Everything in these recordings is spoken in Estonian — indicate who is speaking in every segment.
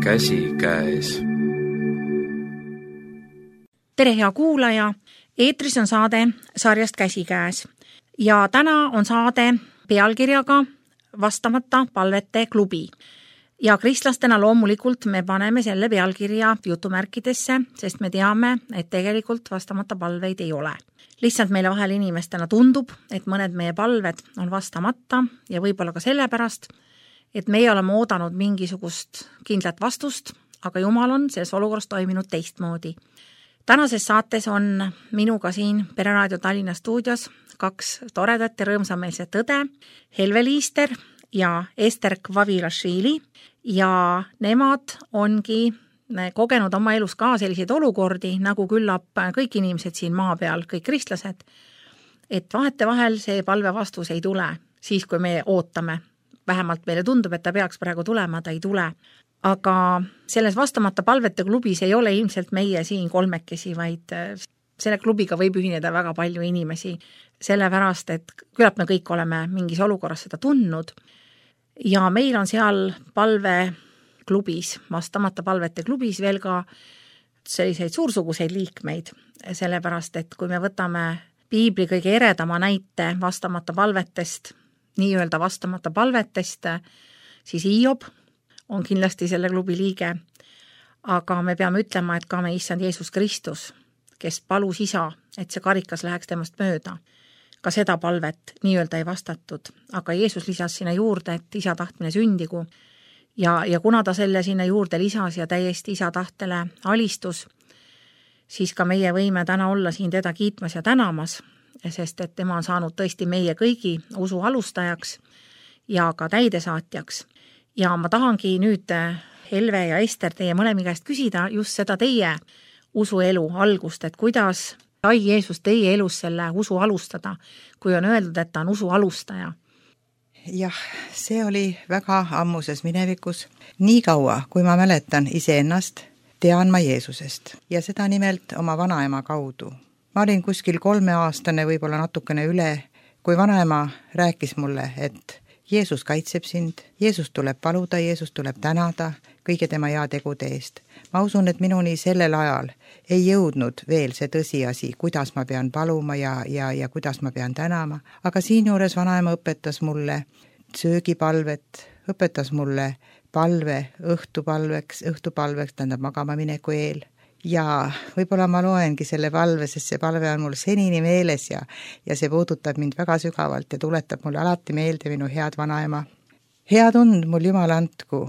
Speaker 1: käsikäes.
Speaker 2: Tere, hea kuulaja! Eetris on saade sarjast Käsikäes ja täna on saade pealkirjaga Vastamata palvete klubi. Ja kristlastena loomulikult me paneme selle pealkirja jutumärkidesse, sest me teame, et tegelikult vastamata palveid ei ole. Lihtsalt meile vahel inimestena tundub, et mõned meie palved on vastamata ja võib-olla ka sellepärast, et meie oleme oodanud mingisugust kindlat vastust, aga Jumal on selles olukorras toiminud teistmoodi. Tänases saates on minuga siin Pereraadio Tallinna stuudios kaks toredat ja rõõmsameelset õde, Helve Liister ja Ester Kvavilašvili, ja nemad ongi kogenud oma elus ka selliseid olukordi, nagu küllap kõik inimesed siin maa peal, kõik kristlased, et vahetevahel see palve vastus ei tule, siis kui me ootame. Vähemalt meile tundub, et ta peaks praegu tulema, ta ei tule. Aga selles vastamata palvete klubis ei ole ilmselt meie siin kolmekesi, vaid selle klubiga võib ühineda väga palju inimesi, sellepärast, et küllap me kõik oleme mingis olukorras seda tundnud. Ja meil on seal palveklubis, vastamata palvete klubis veel ka selliseid suursuguseid liikmeid, sellepärast, et kui me võtame piibli kõige eredama näite vastamata palvetest, nii-öelda vastamata palvetest, siis Hiob on kindlasti selle klubi liige, aga me peame ütlema, et ka me issand Jeesus Kristus, kes palus isa, et see karikas läheks temast mööda. Ka seda palvet nii-öelda ei vastatud, aga Jeesus lisas sinna juurde, et isa tahtmine sündigu ja kuna ta selle sinna juurde lisas ja täiesti isa tahtele alistus, siis ka meie võime täna olla siin teda kiitmas ja tänamas, sest et tema on saanud tõesti meie kõigi usu alustajaks ja ka täidesaatjaks. Ja ma tahangi nüüd, Helve ja Ester, teie mõlemi käest küsida just seda teie usuelu algust, et kuidas sai Jeesus teie elus selle usu alustada, kui on öeldud, et ta on usu alustaja?
Speaker 3: Jah, see oli väga ammuses minevikus. Nii kaua, kui ma mäletan iseennast, tean ma Jeesusest ja seda nimelt oma vanaema kaudu. Ma olin kuskil 3-aastane, võib-olla natukene üle, kui vanaema rääkis mulle, et Jeesus kaitseb sind, Jeesus tuleb paluda, Jeesus tuleb tänada kõige tema heategude eest. Ma usun, et minuni sellel ajal ei jõudnud veel see tõsiasi, kuidas ma pean paluma ja kuidas ma pean tänama, aga siinjuures vanaema õpetas mulle söögipalvet, õpetas mulle palve õhtupalveks, tähendab magama mineku eel. Ja võib-olla ma loengi selle palve, sest see palve on mul senini meeles ja see puudutab mind väga sügavalt ja tuletab mulle alati meelde minu head vanaema. Head und mul Jumal andku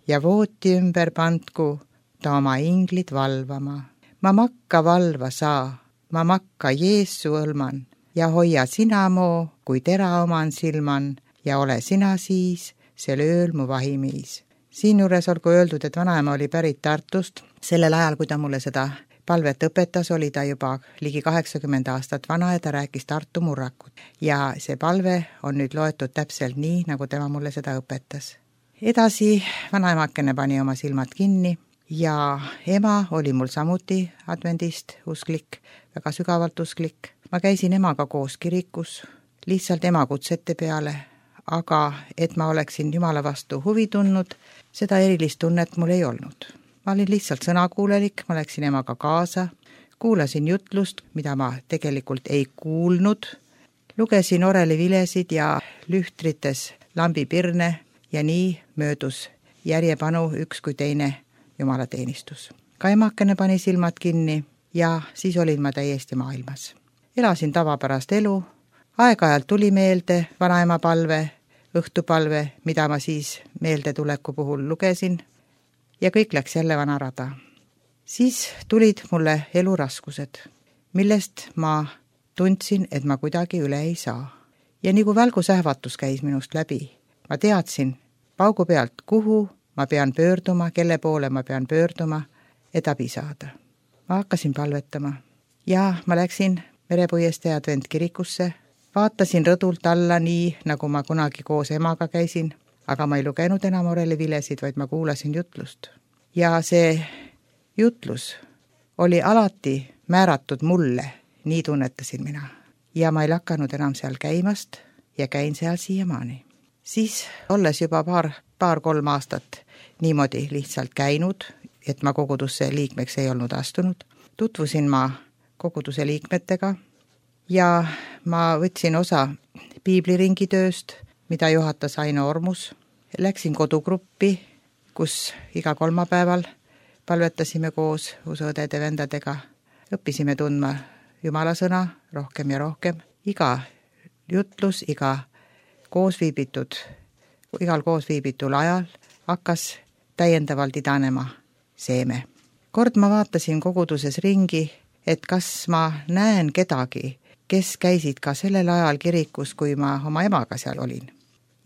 Speaker 3: ja vooti ümber pandku ta oma inglid valvama. Ma makka valva saa, ma makka Jeesu õlman ja hoia sina moo, kui tera oman silman ja ole sina siis, sel ööl mu vahimiis. Siin juures olgu öeldud, et vanaema oli pärit Tartust. Sellel ajal, kui ta mulle seda palvet õpetas, oli ta juba ligi 80 aastat vana ja ta rääkis Tartu murrakut. Ja see palve on nüüd loetud täpselt nii, nagu tema mulle seda õpetas. Edasi vanaemakene pani oma silmad kinni ja ema oli mul samuti advendist usklik, väga sügavalt usklik. Ma käisin emaga koos kirikus, lihtsalt ema kutsete peale, aga et ma oleksin Jumala vastu huvi tundnud, seda erilist tunnet mul ei olnud. Ma olin lihtsalt sõnakuulelik, ma läksin emaga kaasa, kuulasin jutlust, mida ma tegelikult ei kuulnud, lugesin orelivilesid ja lühtrites lambipirne ja nii möödus järjepanu üks kui teine jumalateenistus. Ka emakene pani silmad kinni ja siis olin ma täiesti maailmas. Elasin tavapärast elu, aeg-ajalt tuli meelde vanaema palve, õhtupalve, mida ma siis meeldetuleku puhul lugesin ja kõik läks jälle vana rada. Siis tulid mulle eluraskused, millest ma tundsin, et ma kuidagi üle ei saa. Ja nagu välgusähvatus käis minust läbi, ma teadsin paugu pealt, kuhu ma pean pöörduma, kelle poole ma pean pöörduma, et abi saada. Ma hakkasin palvetama ja ma läksin Merepuiestee adventkirikusse, vaatasin rõdult alla nii, nagu ma kunagi koos emaga käisin, aga ma ei lugenud enam orelivilesid, vaid ma kuulasin jutlust. Ja see jutlus oli alati määratud mulle, nii tunnetasin mina. Ja ma ei lakanud enam seal käimast ja käin seal siiamaani. Siis, olles juba paar-kolm aastat niimoodi lihtsalt käinud, et ma kogudusse liikmeks ei olnud astunud. Tutvusin ma koguduse liikmetega ja ma võtsin osa piibliringi tööst, mida juhatas Aino Ormus. Läksin kodugruppi, kus iga kolmapäeval palvetasime koos usuõdede vendadega. Õppisime tundma Jumala sõna rohkem ja rohkem. Iga jutlus, igal koosviibitul ajal hakkas täiendavalt idanema seeme. Kord ma vaatasin koguduses ringi, et kas ma näen kedagi, kes käisid ka sellel ajal kirikus, kui ma oma emaga seal olin.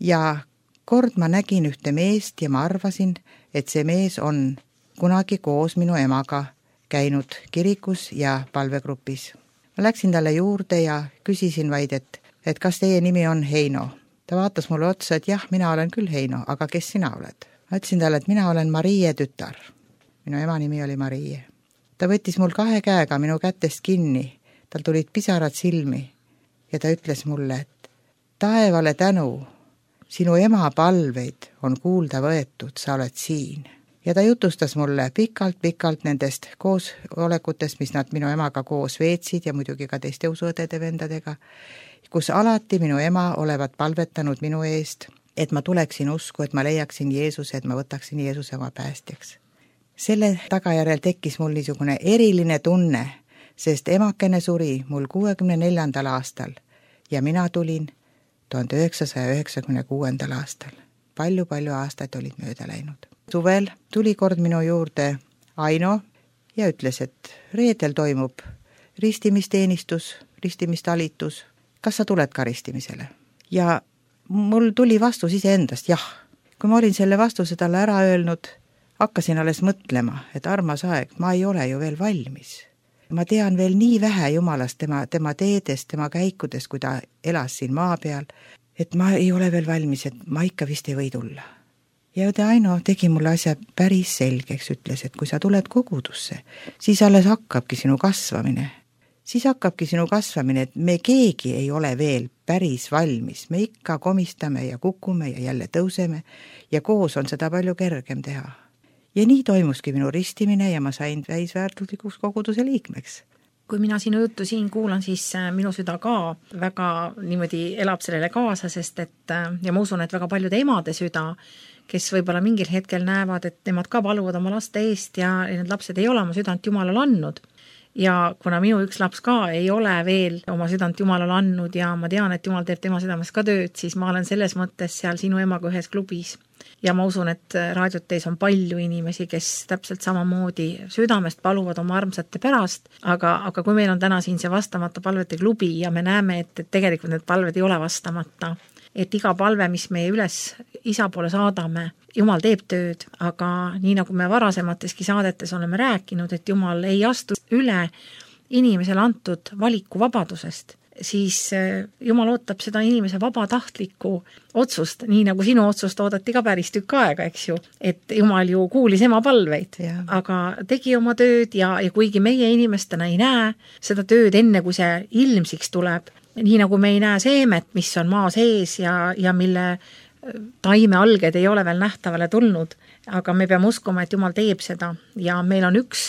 Speaker 3: Ja kord ma nägin ühte meest ja ma arvasin, et see mees on kunagi koos minu emaga käinud kirikus ja palvegrupis. Ma läksin talle juurde ja küsisin vaid, et kas teie nimi on Heino. Ta vaatas mulle otsa, et jah, mina olen küll Heino, aga kes sina oled? Ma ütlesin talle, et mina olen Marie tütar. Minu ema nimi oli Marie. Ta võttis mul 2 käega minu kätest kinni, tal tulid pisarad silmi ja ta ütles mulle, et taevale tänu, sinu ema palveid on kuulda võetud, sa oled siin. Ja ta jutustas mulle pikalt nendest koosolekutest, mis nad minu emaga koos veetsid ja muidugi ka teiste usuõdede vendadega, kus alati minu ema olevat palvetanud minu eest, et ma tuleksin usku, et ma leiaksin Jeesuse, et ma võtaksin Jeesuse oma päästjaks. Selle tagajärjel tekkis mul niisugune eriline tunne, sest emakene suri mul 64. aastal ja mina tulin 1996. aastal. Palju aastaid olid mööda läinud. Suvel tuli kord minu juurde Aino ja ütles, et reedel toimub ristimisteenistus, ristimistalitus. Kas sa tuled ka ristimisele? Ja mul tuli vastus iseendast, jah. Kui ma olin selle vastuse talle ära öelnud, hakkasin alles mõtlema, et armas aeg, ma ei ole ju veel valmis. Ma tean veel nii vähe Jumalast, tema teedest, tema käikudest, kui ta elas siin maa peal, et ma ei ole veel valmis, et ma ikka vist ei või tulla. Ja Aino tegi mulle asja päris selgeks, ütles, et kui sa tuled kogudusse, siis alles hakkabki sinu kasvamine. Siis hakkabki sinu kasvamine, et me keegi ei ole veel päris valmis. Me ikka komistame ja kukume ja jälle tõuseme ja koos on seda palju kergem teha. Ja nii toimuski minu ristimine ja ma sain täisväärtuslikuks koguduse liikmeks.
Speaker 2: Kui mina sinu juttu siin kuulan, siis minu süda ka väga niimoodi elab sellele kaasa, sest ja ma usun, et väga paljude emade süda, kes võib-olla mingil hetkel näevad, et nemad ka paluvad oma laste eest ja need lapsed ei ole oma südant Jumalale andnud. Ja kuna minu üks laps ka ei ole veel oma südant Jumalale andnud ja ma tean, et Jumal teeb tema südames ka tööd, siis ma olen selles mõttes seal sinu emaga ühes klubis. Ja ma usun, et raadioteis on palju inimesi, kes täpselt samamoodi südamest paluvad oma armsate pärast, aga kui meil on täna siin see vastamata palvete klubi ja me näeme, et tegelikult need palved ei ole vastamata, et iga palve, mis meie üles isa poole saadame, Jumal teeb tööd, aga nii nagu me varasemateski saadetes oleme rääkinud, et Jumal ei astu üle inimesele antud valikuvabadusest, siis Jumal ootab seda inimese vabatahtlikku otsust, nii nagu sinu otsust oodati ka päris tükk aega, eks ju, et Jumal ju kuulis ema palveid, aga tegi oma tööd ja kuigi meie inimestena ei näe seda tööd enne, kui see ilmsiks tuleb, nii nagu me ei näe seemet, mis on maa sees ja mille taimealged ei ole veel nähtavale tulnud, aga me peame uskuma, et Jumal teeb seda ja meil on üks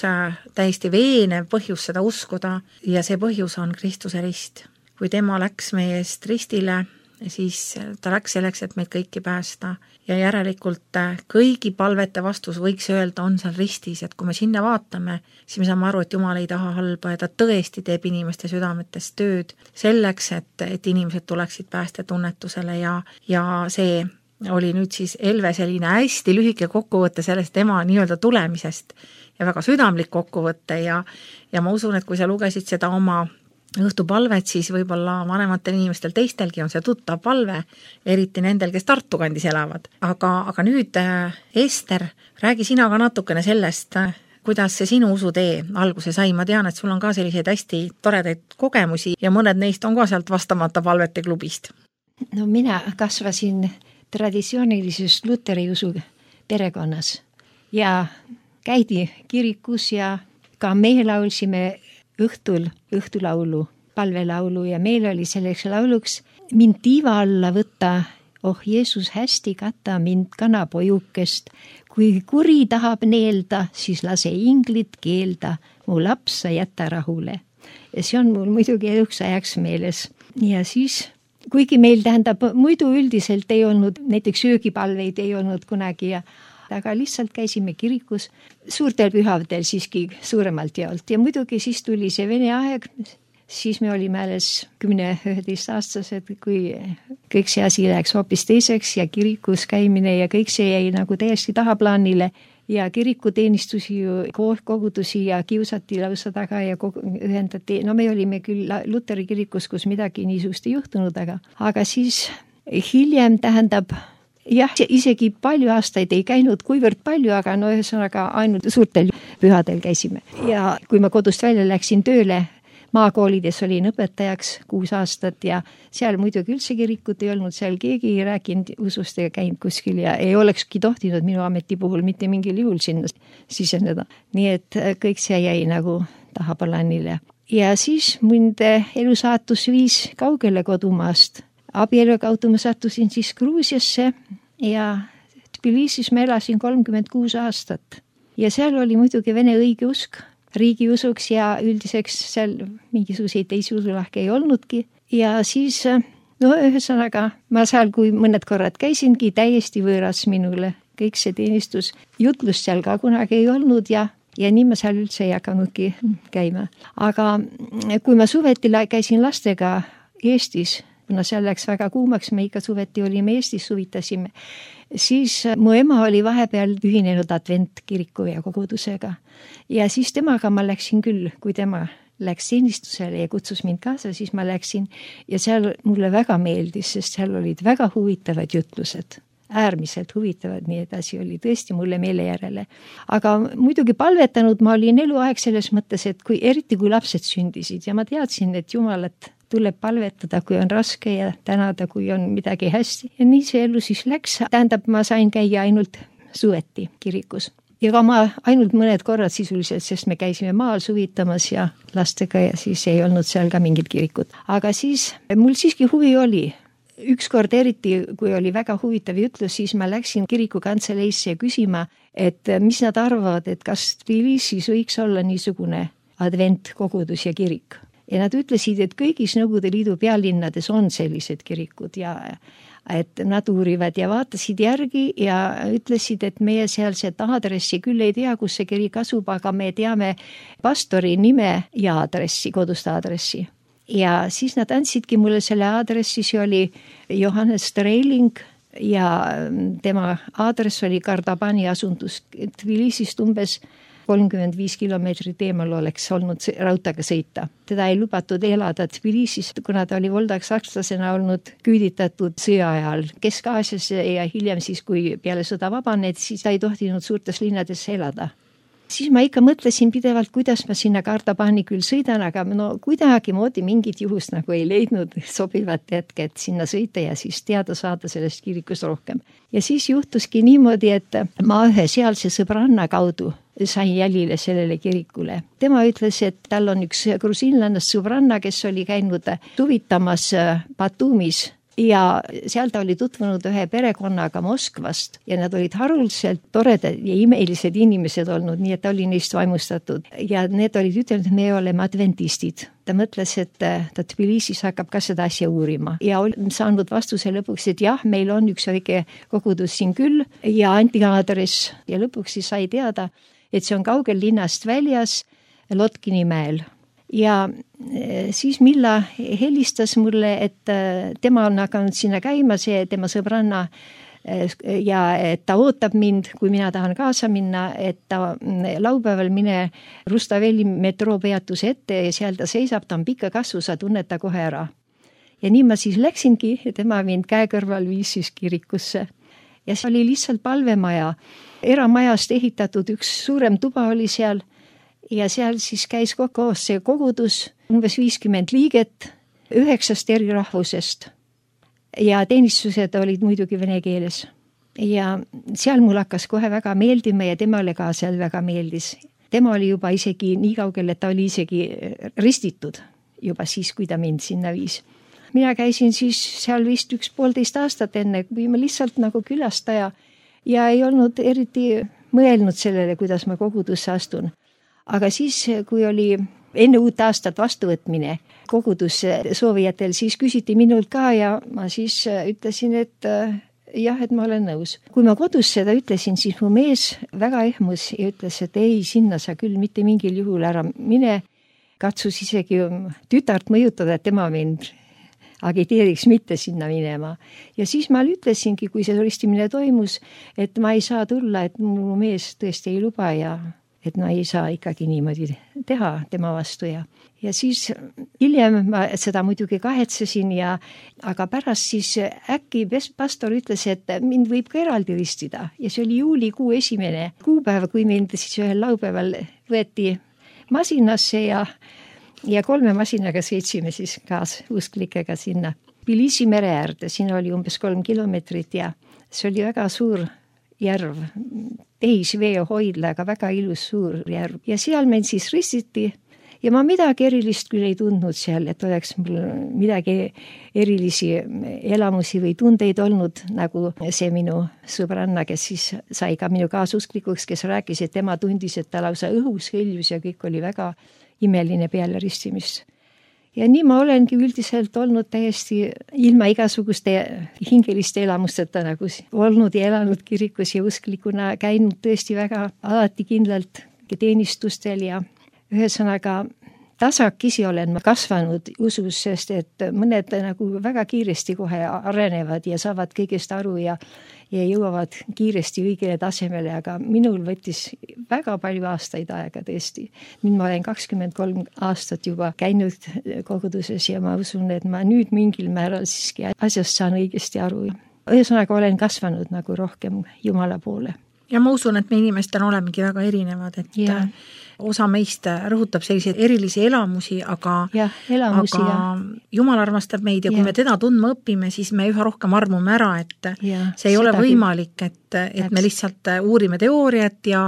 Speaker 2: täiesti veenev põhjus seda uskuda ja see põhjus on Kristuse rist. Kui tema läks meie eest ristile, siis ta läks selleks, et meid kõiki päästa ja järelikult kõigi palvete vastus võiks öelda on seal ristis, et kui me sinna vaatame, siis me saame aru, et Jumal ei taha halba ja ta tõesti teeb inimeste südametes tööd selleks, et inimesed tuleksid päästetunnetusele ja see oli nüüd siis Elve selline hästi lühike kokkuvõte sellest tema nii-öelda tulemisest ja väga südamlik kokkuvõte ja ma usun, et kui sa lugesid seda oma õhtupalvet, siis võib-olla vanematel inimestel teistelgi on see tuttav palve, eriti nendel, kes Tartu kandis elavad. Aga nüüd, Ester, räägi sina ka natukene sellest, kuidas see sinu usutee alguse sai. Ma tean, et sul on ka selliseid hästi toredaid kogemusi ja mõned neist on ka sealt vastamata palvete klubist.
Speaker 1: No mina kasvasin traditsioonilises luteri usu perekonnas ja käidi kirikus ja ka me laulsime õhtulaulu, palvelaulu ja meil oli selleks lauluks mind tiiva alla võtta, oh Jeesus hästi kata mind kanapojukest, kui kuri tahab neelda, siis lase inglit keelda, mu laps sa jäta rahule. Ja see on mul muidugi eluks ajaks meeles. Ja siis, kuigi meil tähendab, muidu üldiselt ei olnud, näiteks söögipalveid ei olnud kunagi, aga lihtsalt käisime kirikus suurtel pühavdel siiski suuremalt jaolt. Ja muidugi siis tuli see Vene aeg, siis me olime alles 10-11 aastased, kui kõik see asi läks hoopis teiseks ja kirikus käimine ja kõik see jäi nagu täiesti tahaplaanile ja kirikuteenistusi ju kogudusi ja kiusati lausa taga ja ühendati. No me olime küll Luteri kirikus, kus midagi niisugust ei juhtunud, aga siis hiljem tähendab, jah, isegi palju aastaid ei käinud, kuivõrd palju, aga no ühesõnaga ainult suurtel pühadel käisime. Ja kui ma kodust välja läksin tööle, maakoolides olin õpetajaks 6 aastat ja seal muidugi üldse kirikut ei olnud, seal keegi ei rääkinud usust ega käinud kuskil ja ei olekski tohtinud minu ameti puhul mitte mingil juhul sinna siseneda. Nii et kõik see jäi nagu tahaplaanile. Ja siis mind elusaatus viis kaugele kodumaast. Abielu kaudu ma sattusin siis Gruusiasse ja Tbilisis ma elasin 36 aastat. Ja seal oli muidugi vene õigeusk, riigiusuks ja üldiseks seal mingisuguseid teisi usulahke ei olnudki. Ja siis, no ühesõnaga, ma seal, kui mõned korrad käisingi, täiesti võõras minule. Kõik see teenistus, jutlust seal ka kunagi ei olnud ja nii ma seal üldse ei hakanudki käima. Aga kui ma suveti käisin lastega Eestis, kuna seal läks väga kuumaks, me ikka suveti olime Eestis, suvitasime, siis mu ema oli vahepeal ühinenud adventkiriku ja kogudusega. Ja siis temaga ma läksin küll, kui tema läks teenistusele ja kutsus mind kaasa, siis ma läksin ja seal mulle väga meeldis, sest seal olid väga huvitavad jutlused. Äärmiselt huvitavad, nii edasi oli tõesti mulle meele järele. Aga muidugi palvetanud ma olin eluaeg selles mõttes, et eriti kui lapsed sündisid ja ma teadsin, et Jumalat tuleb palvetada, kui on raske ja tänada, kui on midagi hästi. Ja nii see elu siis läks. Tähendab, ma sain käia ainult suveti kirikus. Ja ka ma ainult mõned korrad sisuliselt, sest me käisime maal suvitamas ja lastega ja siis ei olnud seal ka mingit kirikut. Aga siis mul siiski huvi oli. Ükskord eriti, kui oli väga huvitav jutlus, siis ma läksin kirikukantseleisse küsima, et mis nad arvavad, et kas Tbilisis võiks olla niisugune adventkogudus ja kirik. Ja nad ütlesid, et kõigis Nõukogude Liidu pealinnades on sellised kirikud ja et nad uurivad ja vaatasid järgi ja ütlesid, et meie sealset aadressi küll ei tea, kus see kirik asub, aga me teame pastori nime ja aadressi, kodust aadressi. Ja siis nad andsidki mulle selle aadressi, see oli Johannes Streiling ja tema aadress oli Kardabani asundus Tbilisist umbes 35 kilomeetrit eemal oleks olnud rautaga sõita. Teda ei lubatud elada Tbilisist, kuna ta oli voldaks sakslasena olnud küüditatud sõja ajal Kesk-Aasias ja hiljem siis, kui peale sõda vabaned, siis ta ei tohtinud suurtes linnadesse elada. Siis ma ikka mõtlesin pidevalt, kuidas ma sinna Kardabani küll sõidan, aga no kuidagi moodi mingit juhust nagu ei leidnud sobivat hetke, et sinna sõita ja siis teada saada sellest kirikust rohkem. Ja siis juhtuski niimoodi, et ma ühe sealse sõbranna kaudu sain jälile sellele kirikule. Tema ütles, et tal on üks grusiinlannast sõbranna, kes oli käinud suvitamas Batumis ja seal ta oli tutvunud ühe perekonnaga Moskvast ja nad olid haruldaselt toredad ja imelised inimesed olnud, nii et ta oli neist vaimustatud. Ja need olid ütelnud, et me oleme adventistid. Ta mõtles, et ta Tbilisis hakkab ka seda asja uurima ja oli saanud vastuse lõpuks, et jah, meil on üks väike kogudus siin küll ja anti aadress ja lõpuks siis sai teada, et see on kaugel linnast väljas Lotkini mäel. Ja siis Milla helistas mulle, et tema on hakanud sinna käima, see tema sõbranna ja et ta ootab mind, kui mina tahan kaasa minna, et ta laupäeval mine Rustaveli metroopeatuse ette ja seal ta seisab, ta on pikka kasvu, sa tunned ta kohe ära. Ja nii ma siis läksingi ja tema mind käe kõrval viis siis kirikusse. Ja see oli lihtsalt palvemaja. Eramajast ehitatud üks suurem tuba oli seal ja seal siis käis koos see kogudus, umbes 50 liiget 9 eri rahvusest. Ja teenistused olid muidugi vene keeles. Ja seal mul hakkas kohe väga meeldima ja temale ka seal väga meeldis. Tema oli juba isegi nii kaugel, et ta oli isegi ristitud juba siis, kui ta mind sinna viis. Mina käisin siis seal vist 1,5 aastat enne, kui ma lihtsalt nagu külastaja ja ei olnud eriti mõelnud sellele, kuidas ma kogudusse astun. Aga siis, kui oli enne uut aastat vastuvõtmine kogudusse soovijatel, siis küsiti minult ka ja ma siis ütlesin, et jah, et ma olen nõus. Kui ma kodus seda ütlesin, siis mu mees väga ehmus ja ütles, et ei, sinna sa küll mitte mingil juhul ära mine. Katsus isegi tütart mõjutada, et tema mind agiteeriks mitte sinna minema. Ja siis ma ütlesingi, kui see ristimine toimus, et ma ei saa tulla, et mu mees tõesti ei luba ja et ma ei saa ikkagi niimoodi teha tema vastu ja siis hiljem ma seda muidugi kahetsesin aga pärast siis äkki pastor ütles, et mind võib ka eraldi ristida ja see oli juulikuu 1. kuupäev, kui mind siis ühel laupäeval võeti masinasse ja 3 masinaga sõitsime siis kaasusklikega sinna Tbilisi mere äärde, siin oli umbes 3 kilomeetrit ja see oli väga suur järv, tehisveehoidla, aga väga ilus suur järv ja seal meil siis ristiti ja ma midagi erilist küll ei tundnud seal, et oleks mul midagi erilisi elamusi või tundeid olnud, nagu see minu sõbranna, kes siis sai ka minu kaasusklikuks, kes rääkis, et tema tundis, et ta lausa õhus hõljus ja kõik oli väga imeline peale ristimist. Ja nii ma olengi üldiselt olnud täiesti ilma igasuguste hingeliste elamusteta nagu olnud ja elanud kirikus ja usklikuna käinud tõesti väga alati kindlalt teenistustel ja ühesõnaga tasakesi olen ma kasvanud usus, sest et mõned nagu väga kiiresti kohe arenevad ja saavad kõigest aru ja jõuavad kiiresti õigele tasemele, aga minul võttis väga palju aastaid aega tõesti. Nüüd ma olen 23 aastat juba käinud koguduses ja ma usun, et ma nüüd mingil määral siiski asjast saan õigesti aru. Ühesõnaga olen kasvanud nagu rohkem Jumala poole.
Speaker 2: Ja ma usun, et me inimestel olemegi väga erinevad, et osa meist rõhutab selliseid erilisi elamusi, aga Jumal armastab meid ja kui me teda tundma õpime, siis me üha rohkem armume ära, et see ei ole võimalik, et me lihtsalt uurime teooriat ja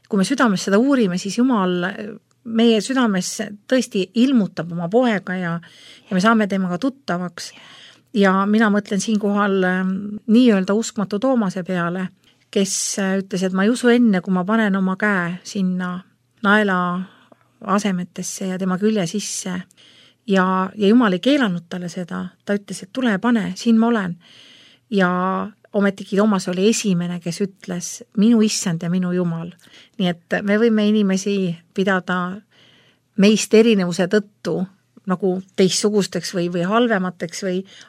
Speaker 2: kui me südames seda uurime, siis Jumal meie südames tõesti ilmutab oma poega ja me saame temaga tuttavaks. Ja mina mõtlen siinkohal nii-öelda uskmatu Toomase peale, kes ütles, et ma ei usu enne, kui ma panen oma käe sinna naela asemetesse ja tema külje sisse. Ja Jumal ei keelanud talle seda. Ta ütles, et tule ja pane, siin ma olen. Ja ometigi Toomas oli esimene, kes ütles minu issand ja minu Jumal. Nii et me võime inimesi pidada meist erinevuse tõttu nagu teistsugusteks või halvemateks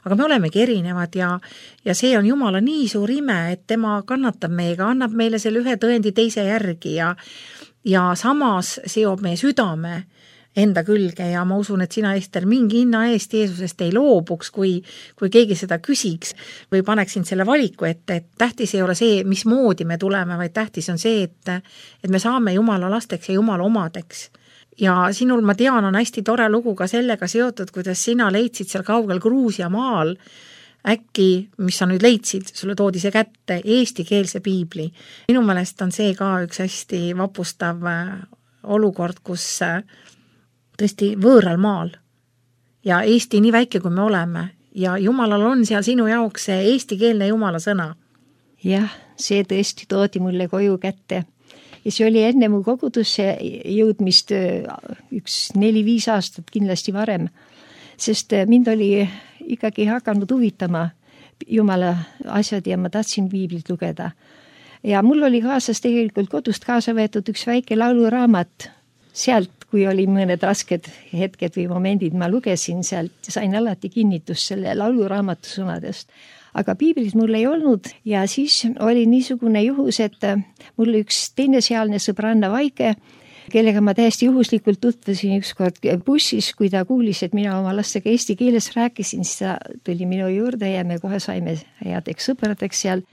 Speaker 2: aga me olemegi erinevad ja see on Jumala nii suur ime, et tema kannatab meiega, annab meile selle ühe tõendi teise järgi ja samas seob meie südame enda külge ja ma usun, et sina, Ester, mingi hinna eest Jeesusest ei loobuks, kui keegi seda küsiks või paneksin selle valiku, et tähtis ei ole see, mismoodi me tuleme, vaid tähtis on see, et me saame Jumala lasteks ja Jumala omadeks. Ja sinul, ma tean, on hästi tore lugu ka sellega seotud, kuidas sina leidsid seal kaugel Gruusia maal äkki, mis sa nüüd leidsid, sulle toodi see kätte, eestikeelse piibli. Minu meelest on see ka üks hästi vapustav olukord, kus tõesti võõral maal ja Eesti nii väike, kui me oleme ja Jumalal on seal sinu jaoks see eestikeelne Jumala sõna.
Speaker 1: Jah, see tõesti toodi mulle koju kätte. Ja see oli enne mu kogudusse jõudmist 4-5 aastat kindlasti varem, sest mind oli ikkagi hakanud huvitama Jumala asjad ja ma tahtsin piiblit lugeda. Ja mul oli kaasas tegelikult kodust kaasa võetud üks väike lauluraamat. Sealt, kui oli mõned rasked hetked või momendid, ma lugesin sealt, sain alati kinnitust selle lauluraamatu sõnadest. Aga piiblit mul ei olnud ja siis oli niisugune juhus, et mul üks teine sealne sõbranna Vaike, kellega ma täiesti juhuslikult tutvusin ükskord bussis, kui ta kuulis, et mina oma lastega eesti keeles rääkisin, siis ta tuli minu juurde ja me kohe saime headeks sõpradeks seal.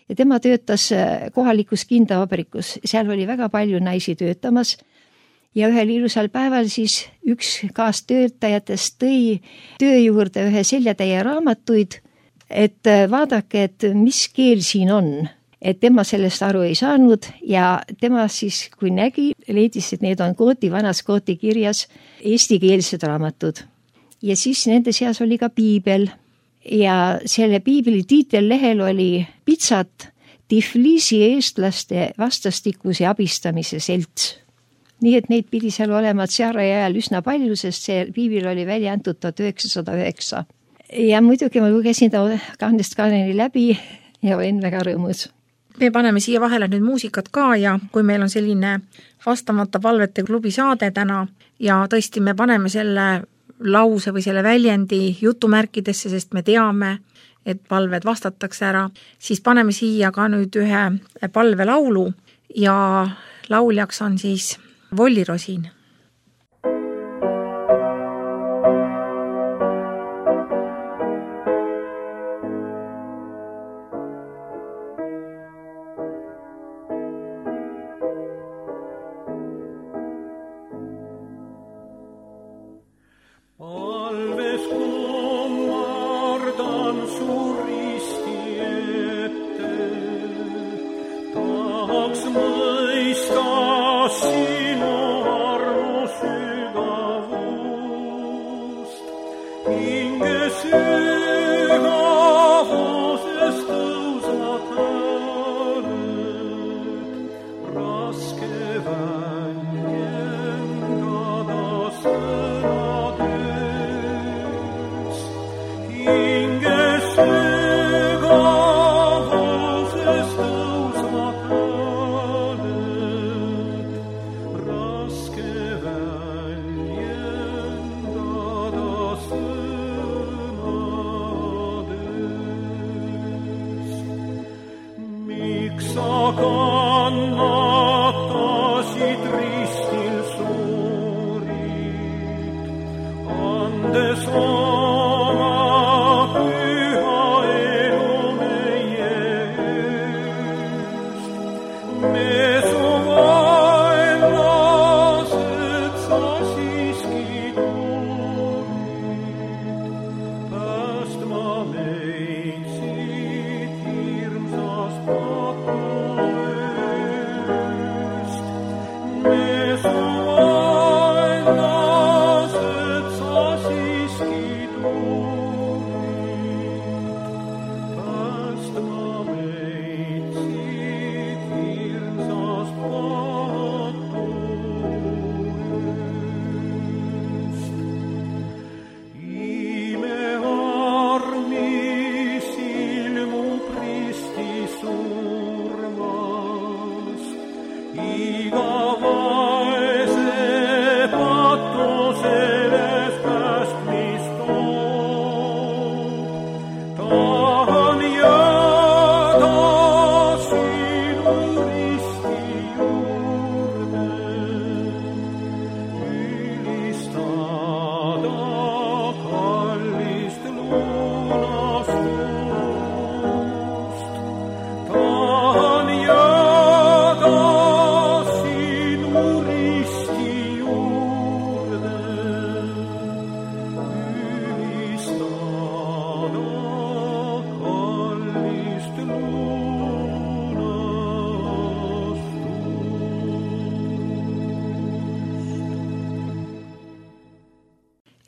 Speaker 1: Ja tema töötas kohalikus kindavabrikus, seal oli väga palju naisi töötamas ja ühel ilusal päeval siis üks kaastöötajatest tõi töö juurde ühe seljatäie raamatuid, et vaadake, et mis keel siin on, et tema sellest aru ei saanud ja tema siis, kui nägi, leidis, et need on vanas kooti kirjas eestikeelsed raamatud. Ja siis nende seas oli ka piibel ja selle piibli tiitellehel oli pitsat Tiflisi eestlaste vastastikuse abistamise selts. Nii et neid pidi seal olema tsaari ajal üsna palju, sest see piibil oli välja antud 1909. Ja muidugi ma lugesin ta kahnest kaaneni läbi ja olin väga rõõmus.
Speaker 2: Me paneme siia vahele nüüd muusikat ka ja kui meil on selline vastamata palvete klubi saade täna ja tõesti me paneme selle lause või selle väljendi jutumärkidesse, sest me teame, et palved vastatakse ära, siis paneme siia ka nüüd ühe palvelaulu ja lauljaks on siis Volli Rosin.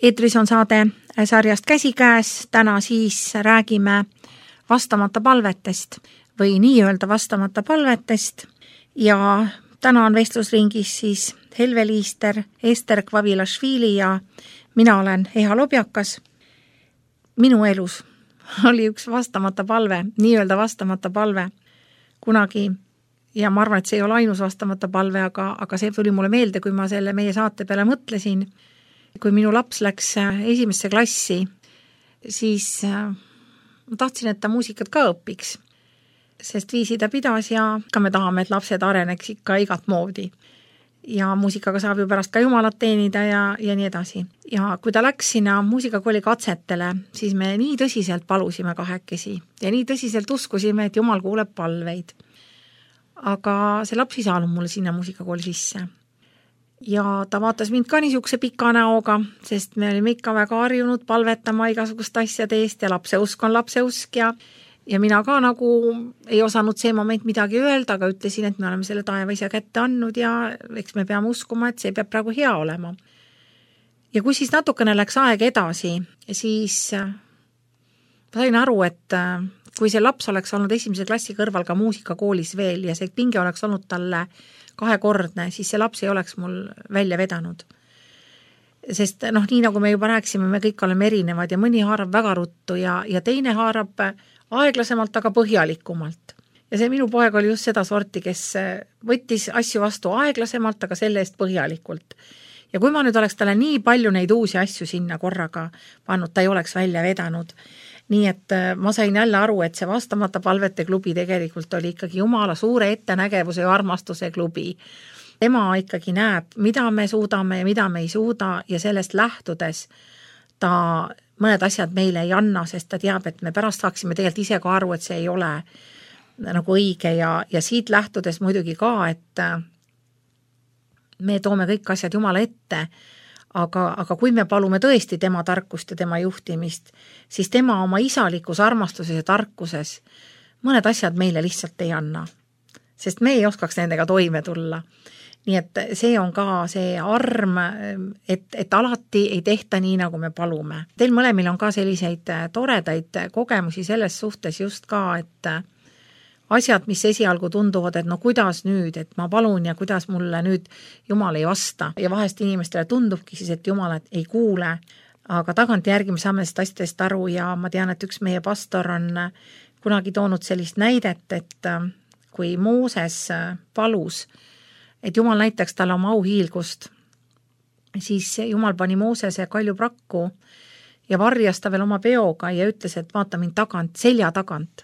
Speaker 2: Eetris on saade sarjast Käsikäes, täna siis räägime vastamata palvetest või nii-öelda vastamata palvetest ja täna on vestlusringis siis Helve Liister, Ester Kvavilašvili ja mina olen Eha Lobjakas. Minu elus oli üks vastamata palve, nii-öelda vastamata palve kunagi ja ma arvan, et see ei ole ainus vastamata palve, aga see tuli mulle meelde, kui ma selle meie saate peale mõtlesin. Kui minu laps läks esimesse klassi, siis ma tahtsin, et ta muusikat ka õpiks, sest viisi ta pidas ja ka me tahame, et lapsed areneks ikka igat moodi. Ja muusikaga saab ju pärast ka jumalat teenida ja nii edasi. Ja kui ta läks sinna muusikakooli katsetele, siis me nii tõsiselt palusime kahekesi ja nii tõsiselt uskusime, et jumal kuuleb palveid. Aga see laps ei saanud mulle sinna muusikakooli sisse. Ja ta vaatas mind ka niisuguse pika näoga, sest me olime ikka väga harjunud palvetama igasugust asjade eest ja lapse usk on lapse usk ja mina ka nagu ei osanud see moment midagi öelda, aga ütlesin, et me oleme selle taevaisa kätte andnud ja eks me peame uskuma, et see peab praegu hea olema. Ja kui siis natukene läks aeg edasi, siis ma sain aru, et kui see laps oleks olnud 1. klassi kõrval ka muusikakoolis veel ja see pinge oleks olnud talle 2-kordne, siis see laps ei oleks mul välja vedanud. Sest nii nagu me juba rääkisime, me kõik oleme erinevad ja mõni haarab väga ruttu ja teine haarab aeglasemalt, aga põhjalikumalt. Ja see minu poeg oli just seda sorti, kes võttis asju vastu aeglasemalt, aga selle eest põhjalikult. Ja kui ma nüüd oleks talle nii palju neid uusi asju sinna korraga pannud, ta ei oleks välja vedanud. Nii et ma sain jälle aru, et see vastamata palvete klubi tegelikult oli ikkagi Jumala suure ettenägevuse ja armastuse klubi. Tema ikkagi näeb, mida me suudame ja mida me ei suuda ja sellest lähtudes ta mõned asjad meile ei anna, sest ta teab, et me pärast saaksime tegelikult ise ka aru, et see ei ole nagu õige ja siit lähtudes muidugi ka, et me toome kõik asjad Jumala ette, aga kui me palume tõesti tema tarkust ja tema juhtimist, siis tema oma isalikus armastuses ja tarkuses mõned asjad meile lihtsalt ei anna, sest me ei oskaks nendega toime tulla. Nii et see on ka see arm, et alati ei tehta nii, nagu me palume. Teil mõlemil on ka selliseid toredaid kogemusi selles suhtes just ka, et asjad, mis esialgu tunduvad, et kuidas nüüd, et ma palun ja kuidas mulle nüüd Jumal ei vasta. Ja vahest inimestele tundubki siis, et Jumal ei kuule, aga tagantjärgi me saame sellest asjadest aru ja ma tean, et üks meie pastor on kunagi toonud sellist näidet, et kui Mooses palus, et Jumal näitaks talle oma auhiilgust, siis Jumal pani Moosese kaljuprakku ja varjas ta veel oma peoga ja ütles, et vaata mind tagant, selja tagant.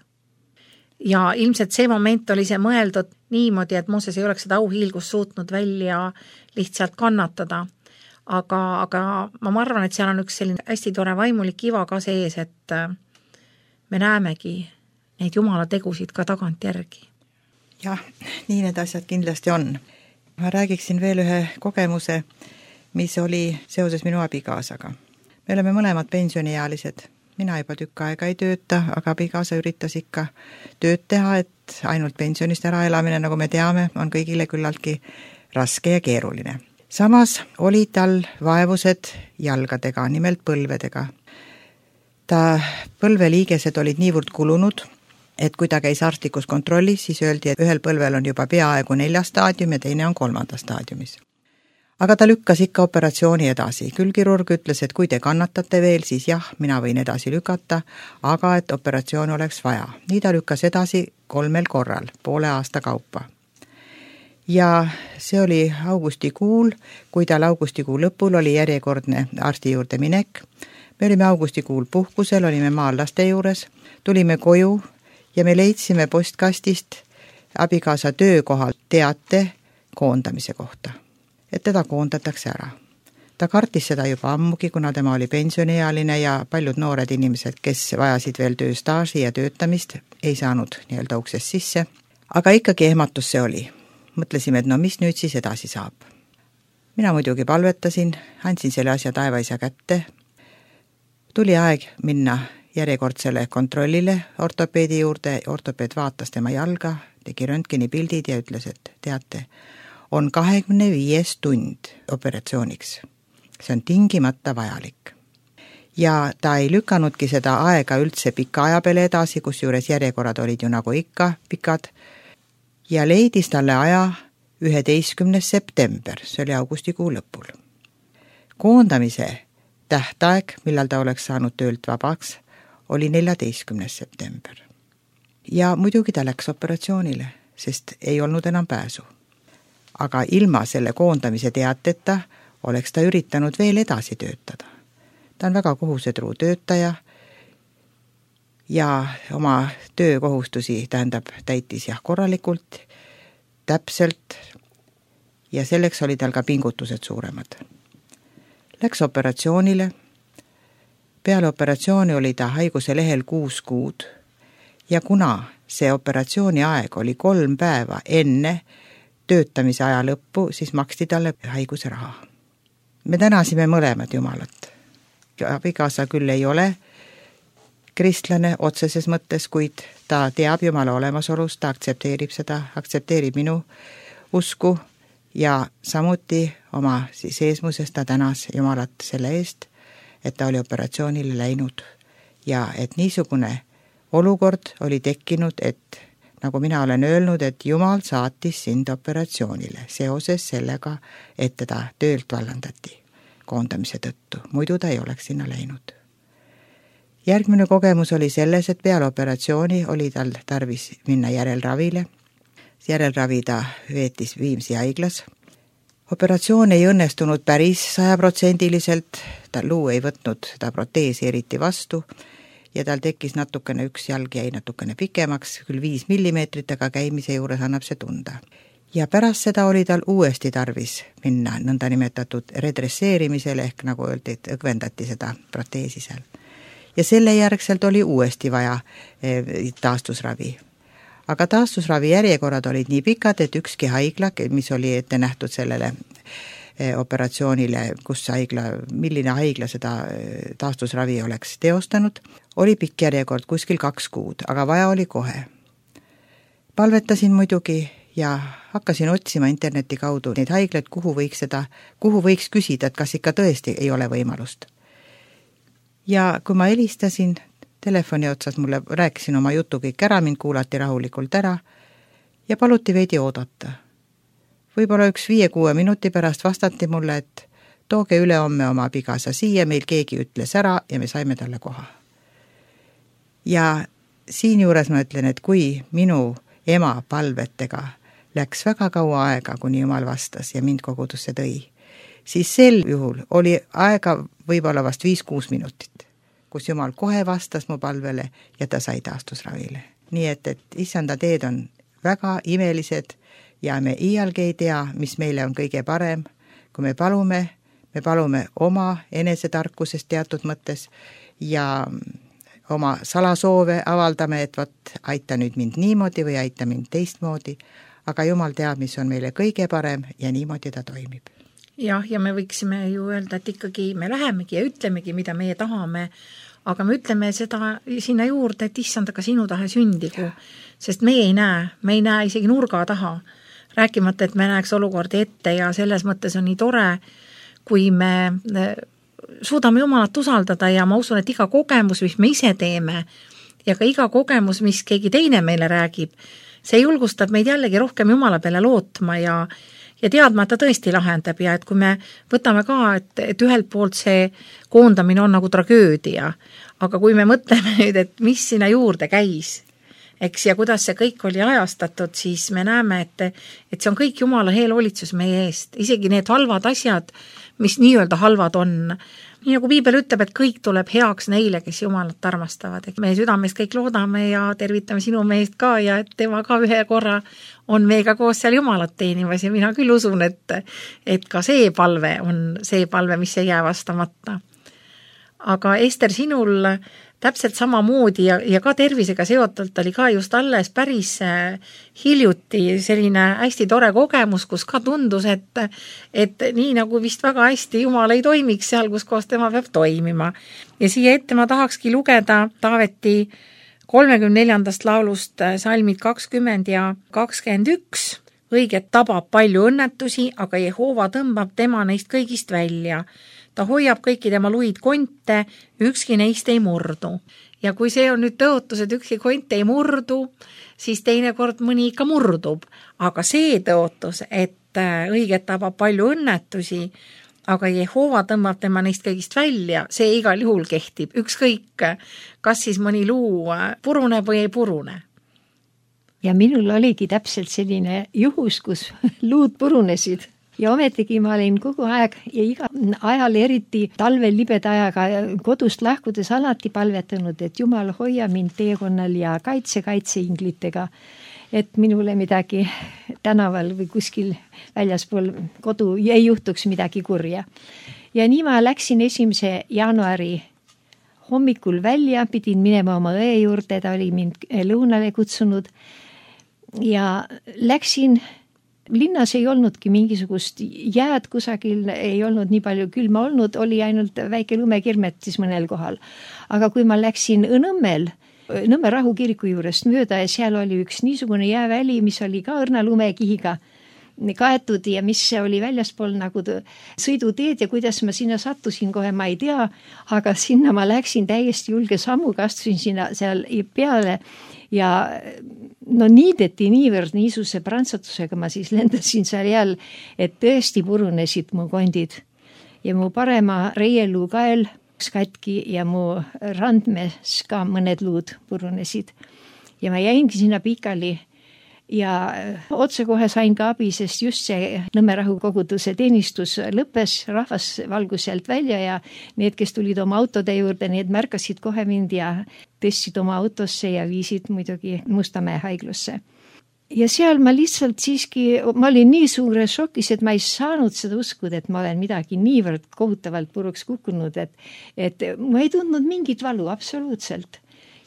Speaker 2: Ja ilmselt see moment oli see mõeldud niimoodi, et Mooses ei oleks seda auhiilgust suutnud välja lihtsalt kannatada. Aga ma arvan, et seal on üks selline hästi tore vaimulik iva ka sees, et me näemegi neid Jumala tegusid ka tagant järgi.
Speaker 3: Jah, nii need asjad kindlasti on. Ma räägiksin veel ühe kogemuse, mis oli seoses minu abikaasaga. Me oleme mõlemad pensioniealised. Mina juba tükk aega ei tööta, aga abikaasa üritas ikka tööd teha, et ainult pensionist ära elamine, nagu me teame, on kõigile küllaltki raske ja keeruline. Samas oli tal vaevused jalgadega, nimelt põlvedega. Ta põlveliigesed olid niivõrd kulunud, et kui ta käis arstlikus kontrollis, siis öeldi, et ühel põlvel on juba peaaegu 4. staadium ja teine on 3. staadiumis. Aga ta lükkas ikka operatsiooni edasi. Küll kirurg ütles, et kui te kannatate veel, siis jah, mina võin edasi lükata, aga et operatsioon oleks vaja. Nii ta lükkas edasi 3 korral, poole aasta kaupa. Ja see oli augustikuul, kui tal augustikuu lõpul oli järjekordne arsti juurde minek. Me olime augustikuul puhkusel, olime maal laste juures, tulime koju ja me leidsime postkastist abikaasa töökohal teate koondamise kohta. Et teda koondatakse ära. Ta kartis seda juba ammugi, kuna tema oli pensioniealine ja paljud noored inimesed, kes vajasid veel tööstaaži ja töötamist, ei saanud nii-öelda uksest sisse. Aga ikkagi ehmatus see oli. Mõtlesime, et mis nüüd siis edasi saab. Mina muidugi palvetasin, andsin selle asja taevaisa kätte. Tuli aeg minna järjekordsele kontrollile ortopeedi juurde. Ortopeed vaatas tema jalga, tegi röntgeni pildid ja ütles, et teate, on 25 tund operatsiooniks. See on tingimata vajalik. Ja ta ei lükkanudki seda aega üldse pika aja peale edasi, kus juures järjekorrad olid ju nagu ikka pikad, ja leidis talle aja 11. september, see oli augustikuu lõpul. Koondamise tähtaeg, millal ta oleks saanud töölt vabaks, oli 14. september. Ja muidugi ta läks operatsioonile, sest ei olnud enam pääsu. Aga ilma selle koondamise teateta oleks ta üritanud veel edasi töötada. Ta on väga kohusetruu töötaja ja oma töökohustusi täitis korralikult, täpselt ja selleks oli tal ka pingutused suuremad. Läks operatsioonile. Peale operatsiooni oli ta haiguse lehel 6 kuud ja kuna see operatsiooni aeg oli 3 päeva enne töötamise aja lõppu, siis maksti talle haiguse raha. Me tänasime mõlemad Jumalat. Abikaasa küll ei ole kristlane otseses mõttes, kuid ta teab Jumala olemasolust, ta aktsepteerib seda, aktsepteerib minu usku ja samuti oma seesmuses ta tänas Jumalat selle eest, et ta oli operatsioonile läinud ja et niisugune olukord oli tekkinud, et nagu mina olen öelnud, et Jumal saatis sind operatsioonile seoses sellega, et teda töölt vallandati koondamise tõttu, muidu ta ei oleks sinna läinud. Järgmine kogemus oli selles, et peale operatsiooni oli tal tarvis minna järelravile. Järelravi ta veetis Viimsi haiglas. Operatsioon ei õnnestunud päris 100%, ta luu ei võtnud seda proteesi eriti vastu ja tal tekkis natukene, üks jalg jäi natukene pikemaks, küll 5 millimeetrit, aga käimise juures annab see tunda. Ja pärast seda oli tal uuesti tarvis minna nõnda nimetatud redresseerimisele, ehk nagu öeldi, et õgvendati seda proteesi seal. Ja selle järgselt oli uuesti vaja taastusravi. Aga taastusravi järjekorrad olid nii pikad, et ükski haigla, mis oli ette nähtud sellele operatsioonile, milline haigla seda taastusravi oleks teostanud, oli pikk järjekord kuskil 2 kuud, aga vaja oli kohe. Palvetasin muidugi ja hakkasin otsima interneti kaudu neid haiglaid, kuhu võiks küsida, et kas ikka tõesti ei ole võimalust. Ja kui ma helistasin telefoni otsas, mulle rääkisin oma jutu kõik ära, mind kuulati rahulikult ära ja paluti veidi oodata. Võib-olla 5-6 minuti pärast vastati mulle, et tooge ülehomme oma abikaasa siia, meil keegi ütles ära ja me saime talle koha. Ja siinjuures ma ütlen, et kui minu ema palvetega läks väga kaua aega, kuni Jumal vastas ja mind kogudusse tõi, siis sel juhul oli aega võib-olla vast 5-6 minutit, kus Jumal kohe vastas mu palvele ja ta sai taastusravile. Nii et issanda teed on väga imelised ja me iialgi ei tea, mis meile on kõige parem. Kui me palume oma enesetarkusest teatud mõttes ja oma salasoove avaldame, et aita nüüd mind niimoodi või aita mind teistmoodi, aga Jumal teab, mis on meile kõige parem ja niimoodi ta toimib.
Speaker 2: Jah, ja me võiksime ju öelda, et ikkagi me lähemegi ja ütlemegi, mida meie tahame, aga me ütleme seda sinna juurde, et issand, aga sinu tahe sündigu, sest me ei näe isegi nurga taha, rääkimata, et me näeks olukordi ette ja selles mõttes on nii tore, kui me suudame Jumalat usaldada ja ma usun, et iga kogemus, mis me ise teeme ja ka iga kogemus, mis keegi teine meile räägib, see julgustab meid jällegi rohkem Jumala peale lootma ja teadma, et ta tõesti lahendab ja et kui me võtame ka, et ühelt poolt see koondamine on nagu tragöödia, aga kui me mõtleme nüüd, et mis sinna juurde käis, eks, ja kuidas see kõik oli ajastatud, siis me näeme, et see on kõik Jumala eelhoolitsus meie eest, isegi need halvad asjad, mis nii-öelda halvad on. Nii nagu Piibel ütleb, et kõik tuleb heaks neile, kes Jumalat armastavad. Meie südames kõik loodame ja tervitame sinu meest ka ja et tema ka ühe korra on meiega koos seal Jumalat teenimas ja mina küll usun, et ka see palve on see palve, mis ei jää vastamata. Aga Ester, sinul täpselt samamoodi ja ka tervisega seotult oli ka just alles päris hiljuti selline hästi tore kogemus, kus ka tundus, et nii nagu vist väga hästi Jumal ei toimiks seal, kus koos tema peab toimima. Ja siia ette ma tahakski lugeda Taaveti 34. laulust salmid 20 ja 21. Õiget tabab palju õnnetusi, aga Jehova tõmbab tema neist kõigist välja. Ta hoiab kõiki tema luid konte, ükski neist ei murdu. Ja kui see on nüüd tõotus, et ükski kont ei murdu, siis teinekord mõni ikka murdub. Aga see tõotus, et õiget tabab palju õnnetusi, aga Jehova tõmbab tema neist kõigist välja, see igal juhul kehtib. Ükskõik, kas siis mõni luu puruneb või ei purune.
Speaker 1: Ja minul oligi täpselt selline juhus, kus luud purunesid. Ja ometigi ma olin kogu aeg ja iga ajal, eriti talvel libeda ajaga kodust lahkudes alati palvetanud, et Jumal hoia mind teekonnal ja kaitse-inglitega, et minule midagi tänaval või kuskil väljaspool kodu ei juhtuks midagi kurja. Ja nii ma läksin 1. jaanuari hommikul välja, pidin minema oma õe juurde, ta oli mind lõunale kutsunud ja läksin. Linnas ei olnudki mingisugust jääd kusagil, ei olnud nii palju külma olnud, oli ainult väike lumekirmetis mõnel kohal. Aga kui ma läksin Nõmme Rahu kiriku juurest mööda ja seal oli üks niisugune jääväli, mis oli ka õrna lumekihiga kaetud ja mis oli väljaspool nagu sõiduteed ja kuidas ma sinna sattusin kohe, ma ei tea, aga sinna ma läksin täiesti julge sammuga, astusin sinna seal peale ja no niideti niivõrd niisuguse prantsatusega ma siis lendasin seal jääl, et tõesti purunesid mu kondid ja mu parema reieluu kael katki ja mu randmes ka mõned luud purunesid. Ja ma jäingi sinna pikali ja otsekohe sain ka abi, sest just see Nõmme rahukoguduse teenistus lõppes, rahvas valgus sealt välja ja need, kes tulid oma autode juurde, need märkasid kohe mind ja tõstsid oma autosse ja viisid muidugi Mustamäe haiglasse. Ja seal ma lihtsalt siiski, ma olin nii suure šokis, et ma ei saanud seda uskuda, et ma olen midagi niivõrd kohutavalt puruks kukkunud, et ma ei tundnud mingit valu absoluutselt.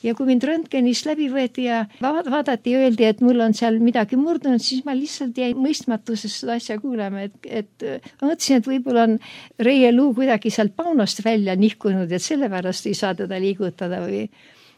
Speaker 1: Ja kui mind röntgenist läbi võeti ja vaadati ja öeldi, et mul on seal midagi murdunud, siis ma lihtsalt jäin mõistmatusest seda asja kuulema, et ma mõtlesin, et võib-olla on reieluu kuidagi sealt paunost välja nihkunud, et sellepärast ei saa teda liigutada või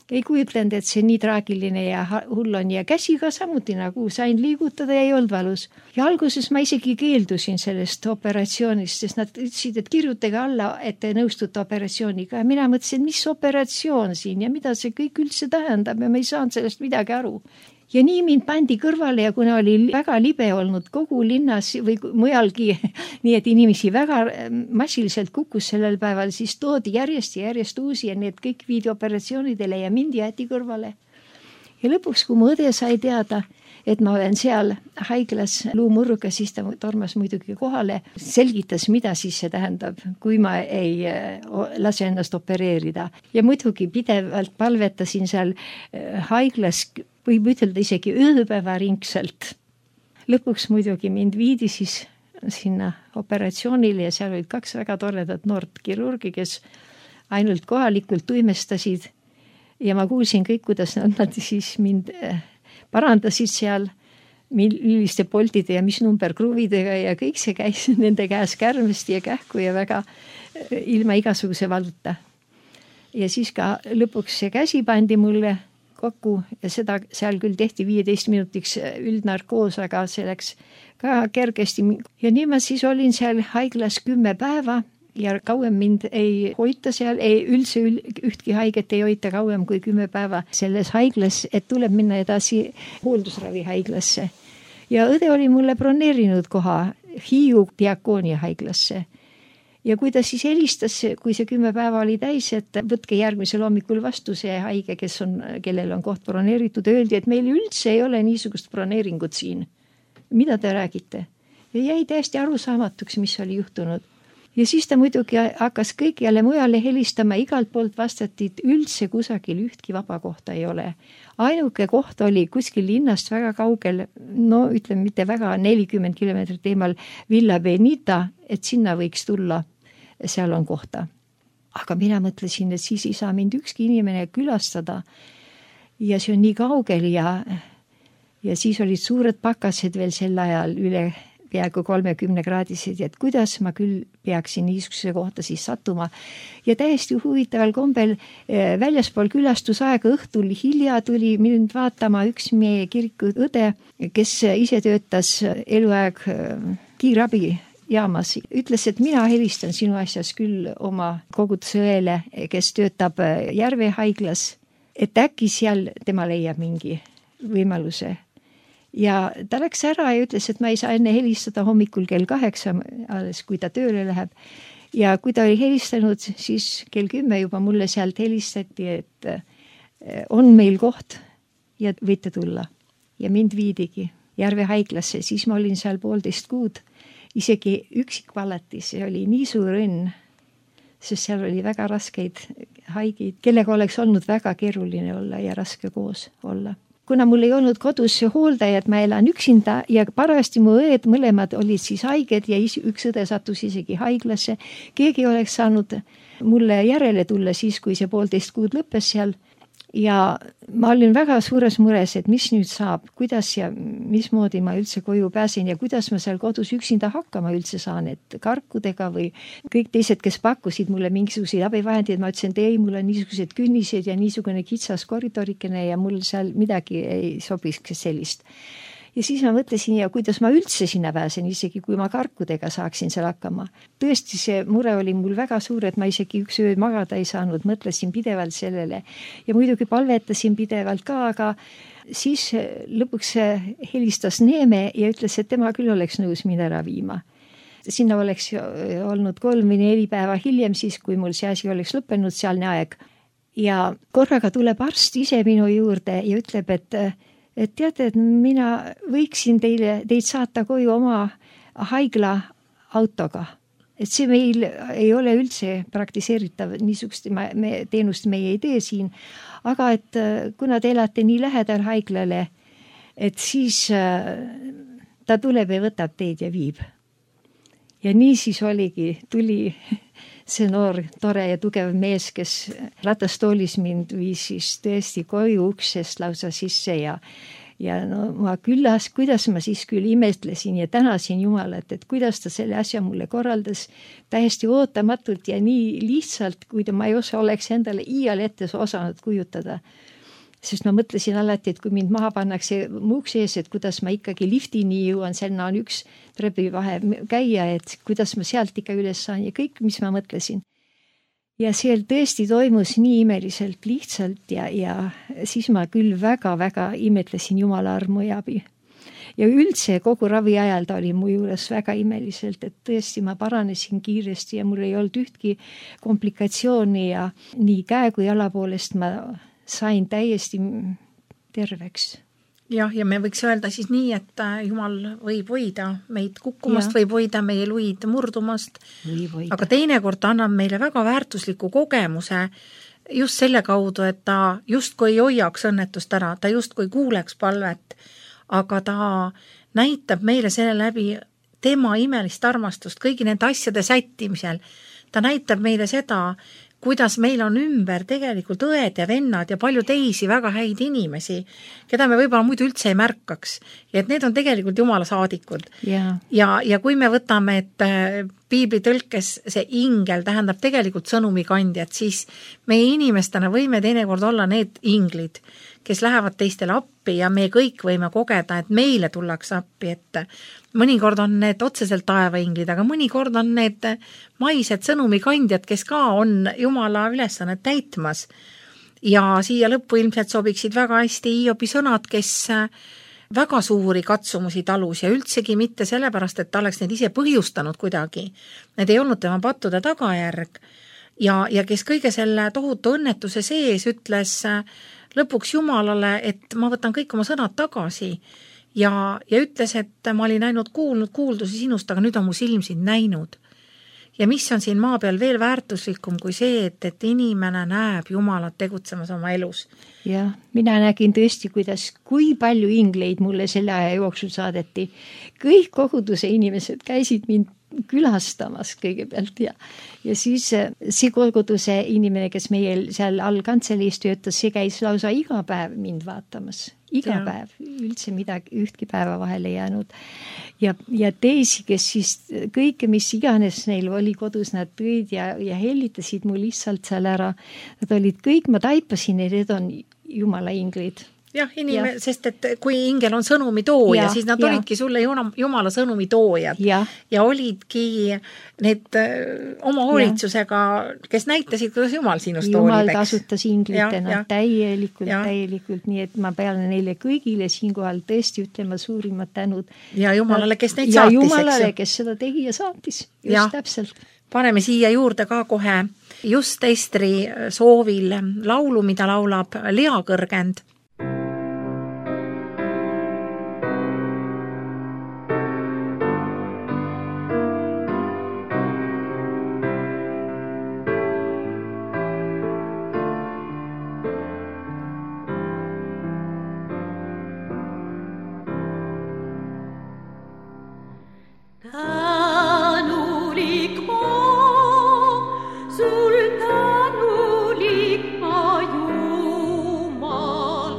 Speaker 1: ei kujutlenud, et see nii traagiline ja hull on ja käsi ka samuti nagu sain liigutada ja ei olnud valus. Ja alguses ma isegi keeldusin sellest operatsioonist, sest nad ütlesid, et kirjutage alla, et te nõustute operatsiooniga. Ja mina mõtlesin, mis operatsioon siin ja mida see kõik üldse tähendab ja ma ei saanud sellest midagi aru. Ja nii mind pandi kõrvale ja kuna oli väga libe olnud kogu linnas või mujalgi, nii et inimesi väga massiliselt kukkus sellel päeval, siis toodi järjest ja järjest uusi ja need kõik viidi operatsioonidele ja mind jäeti kõrvale. Ja lõpuks, kui mu õde sai teada, et ma olen seal haiglas luumurruga, siis ta tormas muidugi kohale, selgitas, mida siis see tähendab, kui ma ei lase ennast opereerida. Ja muidugi pidevalt palvetasin seal haiglas, võib ütelda isegi ööpäevaringselt. Lõpuks muidugi mind viidi siis sinna operatsioonile ja seal olid 2 väga toredat noort kirurgi, kes ainult kohalikult tuimestasid ja ma kuulsin kõik, kuidas nad siis mind parandasid seal, milliste poltide ja mis numberkruvidega ja kõik see käis nende käes kärmesti ja kähku ja väga ilma igasuguse valuta. Ja siis ka lõpuks see käsi pandi mulle kokku ja seda seal küll tehti 15 minutiks üldnarkoos, aga see läks ka kergesti. Ja nii ma siis olin seal haiglas 10 päeva ja kauem mind ei hoita seal, üldse ühtki haiget ei hoita kauem kui 10 päeva selles haiglas, et tuleb minna edasi hooldusravi haiglasse. Ja õde oli mulle broneerinud koha Hiiu Diakoonia haiglasse. Ja kui ta siis helistas, kui see 10 päeva oli täis, et võtke järgmisel hommikul vastu see haige, kellel on koht broneeritud, öeldi, et meil üldse ei ole niisugust broneeringut siin. Mida te räägite? Ja jäi täiesti arusaamatuks, mis oli juhtunud. Ja siis ta muidugi hakkas kõik jälle mujale helistama, igalt poolt vastati, et üldse kusagil ühtki vaba kohta ei ole. Ainuke koht oli kuskil linnast väga kaugel, no ütleme mitte väga, 40 kilomeetrit eemal Villa Benita, et sinna võiks tulla. Seal on kohta. Aga mina mõtlesin, et siis ei saa mind ükski inimene külastada ja see on nii kaugel ja siis olid suured pakased veel sel ajal üle peaaegu 30 kraadised, et kuidas ma küll peaksin niisuguse kohta siis sattuma. Ja täiesti huvitaval kombel väljaspool külastusaega õhtul hilja tuli mind vaatama üks meie kiriku õde, kes ise töötas eluaeg kiirabi jaamas, ütles, et mina helistan sinu asjas küll oma koguduse õele, kes töötab Järve haiglas, et äkki seal tema leiab mingi võimaluse. Ja ta läks ära ja ütles, et ma ei saa enne helistada hommikul kell 8, alles kui ta tööle läheb. Ja kui ta oli helistanud, siis kell 10 juba mulle sealt helistati, et on meil koht ja võite tulla. Ja mind viidigi Järve haiglasse, siis ma olin seal 1,5 kuud. Isegi üksikpalatis, see oli nii suur õnn, sest seal oli väga raskeid haigeid, kellega oleks olnud väga keeruline olla ja raske koos olla. Kuna mul ei olnud kodus hooldajad, ma elan üksinda ja parajasti mu õed mõlemad olid siis haiged ja üks õde sattus isegi haiglasse. Keegi oleks saanud mulle järele tulla siis, kui see 1,5 kuud lõppes seal. Ja ma olin väga suures mures, et mis nüüd saab, kuidas ja mismoodi ma üldse koju pääsen ja kuidas ma seal kodus üksinda hakkama üldse saan, et karkudega või kõik teised, kes pakkusid mulle mingisuguseid abivahendeid, ma ütlesin, et ei, mul on niisugused künnised ja niisugune kitsas koridorikene ja mul seal midagi ei sobiks sellist. ja siis ma mõtlesin, ja kuidas ma üldse sinna pääsen, isegi kui ma karkudega saaksin seal hakkama. Tõesti, see mure oli mul väga suur, et ma isegi üks öö magada ei saanud, mõtlesin pidevalt sellele ja muidugi palvetasin pidevalt ka, aga siis lõpuks helistas Neeme ja ütles, et tema küll oleks nõus mind ära viima. Sinna oleks olnud 3 või 4 päeva hiljem, siis kui mul see asi oleks lõppenud, sealne aeg. Ja korraga tuleb arst ise minu juurde ja ütleb, et teate, et mina võiksin teid saata koju oma haigla autoga. Et see meil ei ole üldse praktiseeritav, niisugust teenust meie ei tee siin, aga et kuna te elate nii lähedal haiglale, et siis ta tuleb ja võtab teid ja viib. Ja nii siis tuli see noor, tore ja tugev mees, kes ratastoolis mind viis siis tõesti koju uksest lausa sisse ja no ma kuidas ma siis küll imetlesin ja tänasin Jumalat, et kuidas ta selle asja mulle korraldas täiesti ootamatult ja nii lihtsalt, kui ma ei oleks endale iial ette osanud kujutada. Sest ma mõtlesin alati, et kui mind maha pannakse mu ukse ees, et kuidas ma ikkagi liftini jõuan, selline on üks trepivahe käia, et kuidas ma sealt ikka üles saan ja kõik, mis ma mõtlesin. Ja seal tõesti toimus nii imeliselt lihtsalt ja siis ma küll väga-väga imetlesin Jumala armu ja abi. Ja üldse kogu ravi ajal ta oli mu juures väga imeliselt, et tõesti ma paranesin kiiresti ja mul ei olnud ühtki komplikatsiooni ja nii käe kui jala poolest ma sain täiesti terveks.
Speaker 2: Jah, ja me võiks öelda siis nii, et Jumal võib hoida meid kukkumast, võib hoida meie luid murdumast, aga teinekord annab meile väga väärtusliku kogemuse just selle kaudu, et ta justkui ei hoiaks õnnetust ära, ta justkui kuuleks palvet, aga ta näitab meile selle läbi tema imelist armastust kõigi nende asjade sättimisel. Ta näitab meile seda, kuidas meil on ümber tegelikult õed ja vennad ja palju teisi väga häid inimesi, keda me võib-olla muidu üldse ei märkaks. Ja et need on tegelikult Jumala saadikud. Ja kui me võtame, et piibli tõlkes see ingel tähendab tegelikult sõnumikandjat, siis meie inimestena võime teinekord olla need inglid, kes lähevad teistele appi ja me kõik võime kogeda, et meile tullakse appi, et mõnikord on need otseselt taevainglid, aga mõnikord on need maised sõnumikandjad, kes ka on Jumala ülesannet täitmas. Ja siia lõppu ilmselt sobiksid väga hästi Hiobi sõnad, kes väga suuri katsumusi talus ja üldsegi mitte sellepärast, et ta oleks need ise põhjustanud kuidagi. Need ei olnud tema pattude tagajärg ja kes kõige selle tohutu õnnetuse sees ütles lõpuks Jumalale, et ma võtan kõik oma sõnad tagasi ja ütles, et ma olin ainult kuulnud kuuldusi sinust, aga nüüd on mu silm sind näinud. Ja mis on siin maa peal veel väärtuslikum kui see, et inimene näeb Jumalat tegutsemas oma elus.
Speaker 1: Ja mina nägin tõesti, kui palju ingleid mulle selle aja jooksul saadeti. Kõik koguduse inimesed käisid mind külastamas kõigepealt ja siis see koguduse inimene, kes meil seal all kantseleis töötas, see käis lausa iga päev mind vaatamas. Iga päev, üldse ühtki päeva vahele jäänud. Ja teisi, kes siis kõike, mis iganes neil oli kodus, nad tõid ja hellitasid mu lihtsalt seal ära. Nad olid kõik, ma taipasin, et need on Jumala inglid.
Speaker 2: Jah, sest et kui ingel on sõnumi tooja, siis nad olidki sulle Jumala sõnumi toojad ja olidki need oma hoolitsusega, kes näitasid, kuidas Jumal sinust
Speaker 1: Jumal tasutas inglitena täielikult, nii et ma pean neile kõigile siinkohal tõesti ütlema suurimat tänud.
Speaker 2: Ja Jumalale, kes neid saatis.
Speaker 1: Ja Jumalale, kes seda tegi ja saatis. Just täpselt.
Speaker 2: Paneme siia juurde ka kohe just Estri soovil laulu, mida laulab Lea Kõrgend.
Speaker 4: Sul tänulik ma Jumal.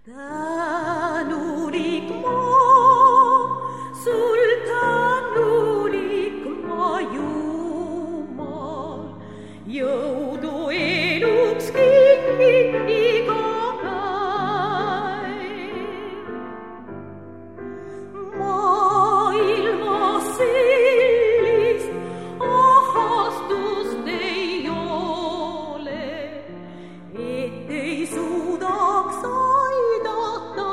Speaker 4: Tänulik maa, sul tänulik maa, Jumal, jõudu eluks kingid iga päev. Maailma sellist ahastust ei ole, et ei suudaks aidata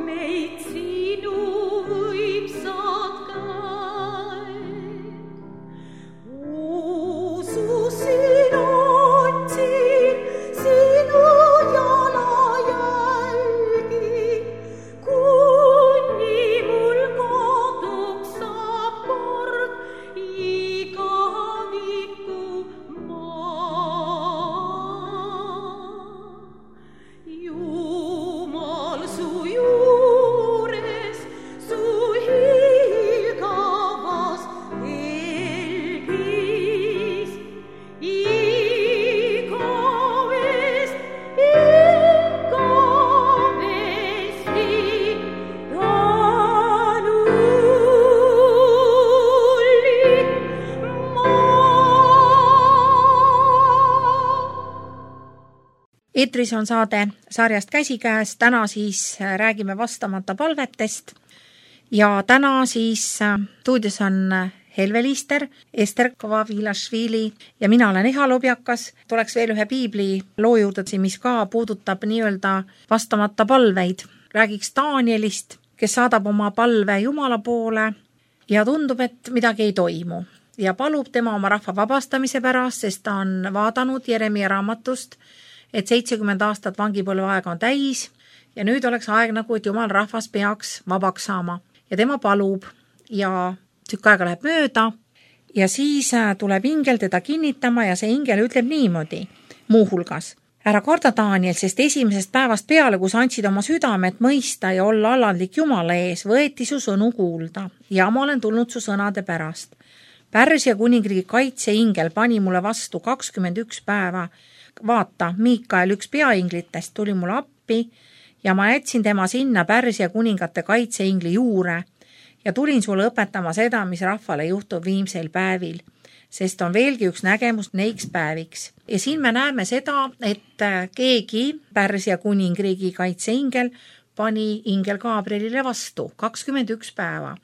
Speaker 4: meid sinu võimsad käed. Ususin otsin sinu jalajälgi, kuni mul koduks saab kord igaviku maa. Jumal su juures, su hiilgavas helgis, igavesti tänulik maa.
Speaker 2: Eetris on saade sarjast Käsikäes, täna siis räägime vastamata palvetest ja täna siis stuudios on Helve Liister, Ester Kovavilašvili ja mina olen Eha Lobjakas. Tuleks veel ühe piibli loo juurde, mis ka puudutab nii-öelda vastamata palveid. Räägiks Danielist, kes saadab oma palve Jumala poole ja tundub, et midagi ei toimu ja palub tema oma rahva vabastamise pärast, sest ta on vaadanud Jeremia raamatust, et 70 aastat vangipõlve aega on täis ja nüüd oleks aeg nagu, et Jumal rahvas peaks vabaks saama. Ja tema palub ja tükk aega läheb mööda ja siis tuleb ingel teda kinnitama ja see ingel ütleb niimoodi muuhulgas. Ära karda, Daniel, sest esimesest päevast peale, kus andsid oma südamet mõista ja olla alandlik Jumala ees, võeti su sõnu kuulda ja ma olen tulnud su sõnade pärast. Pärsia kuningriigi kaitseingel pani mulle vastu 21 päeva. Vaata, Miikael, üks peainglitest, tuli mulle appi ja ma jätsin tema sinna Pärsia kuningate kaitseingli juure ja tulin sulle õpetama seda, mis rahvale juhtub viimsel päevil, sest on veelgi üks nägemus neiks päeviks. Ja siin me näeme seda, et keegi Pärsia kuningriigi kaitseingel pani ingel Gabrielile vastu 21 päeva.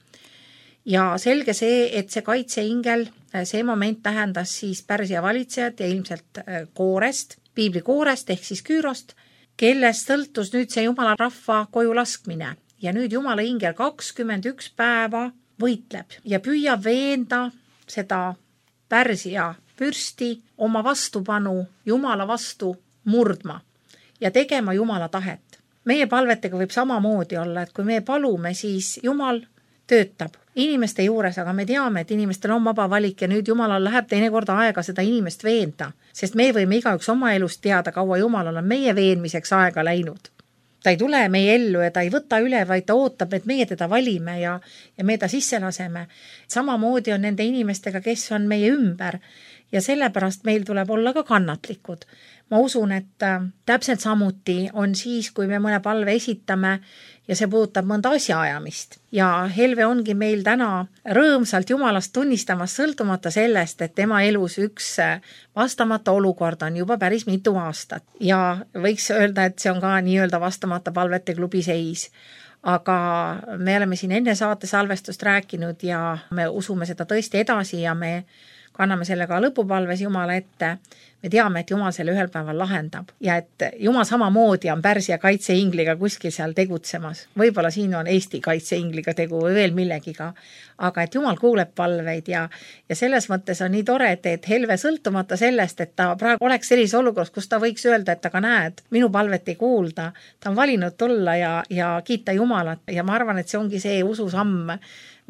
Speaker 2: Ja selge see, et see kaitseingel, see moment tähendas siis Pärsia valitsejat ja ilmselt koorest, piibli koorest ehk siis Küürost, kellest sõltus nüüd see Jumala rahva koju laskmine. Ja nüüd Jumala ingel 21 päeva võitleb ja püüab veenda seda Pärsia pürsti oma vastupanu Jumala vastu murdma ja tegema Jumala tahet. Meie palvetega võib samamoodi olla, et kui me palume, siis Jumal töötab inimeste juures, aga me teame, et inimestel on vaba valik ja nüüd Jumalal läheb teinekord aega seda inimest veenda, sest me võime igaüks oma elust teada, kaua Jumalal on meie veenmiseks aega läinud. Ta ei tule meie ellu ja ta ei võta üle, vaid ta ootab, et meie teda valime ja me ta sisse laseme. Samamoodi on nende inimestega, kes on meie ümber ja sellepärast meil tuleb olla ka kannatlikud. Ma usun, et täpselt samuti on siis, kui me mõne palve esitame ja see puudutab mõnda asjaajamist. Ja Helve ongi meil täna rõõmsalt Jumalast tunnistamas sõltumata sellest, et tema elus üks vastamata olukord on juba päris mitu aastat. Ja võiks öelda, et see on ka nii-öelda vastamata palvete klubi seis. Aga me oleme siin enne saate salvestust rääkinud ja me usume seda tõesti edasi ja me kanname selle ka lõpupalves Jumala ette. Me teame, et Jumal selle ühel päeval lahendab ja et Jumal samamoodi on Pärsia kaitseingliga kuskil seal tegutsemas. Võib-olla siin on Eesti kaitseingliga tegu või veel millegiga, aga et Jumal kuuleb palveid ja selles mõttes on nii tore, et Helve sõltumata sellest, et ta praegu oleks sellises olukorras, kus ta võiks öelda, et aga näed, minu palvet ei kuulda. Ta on valinud tulla ja kiita Jumalat ja ma arvan, et see ongi see ususamm,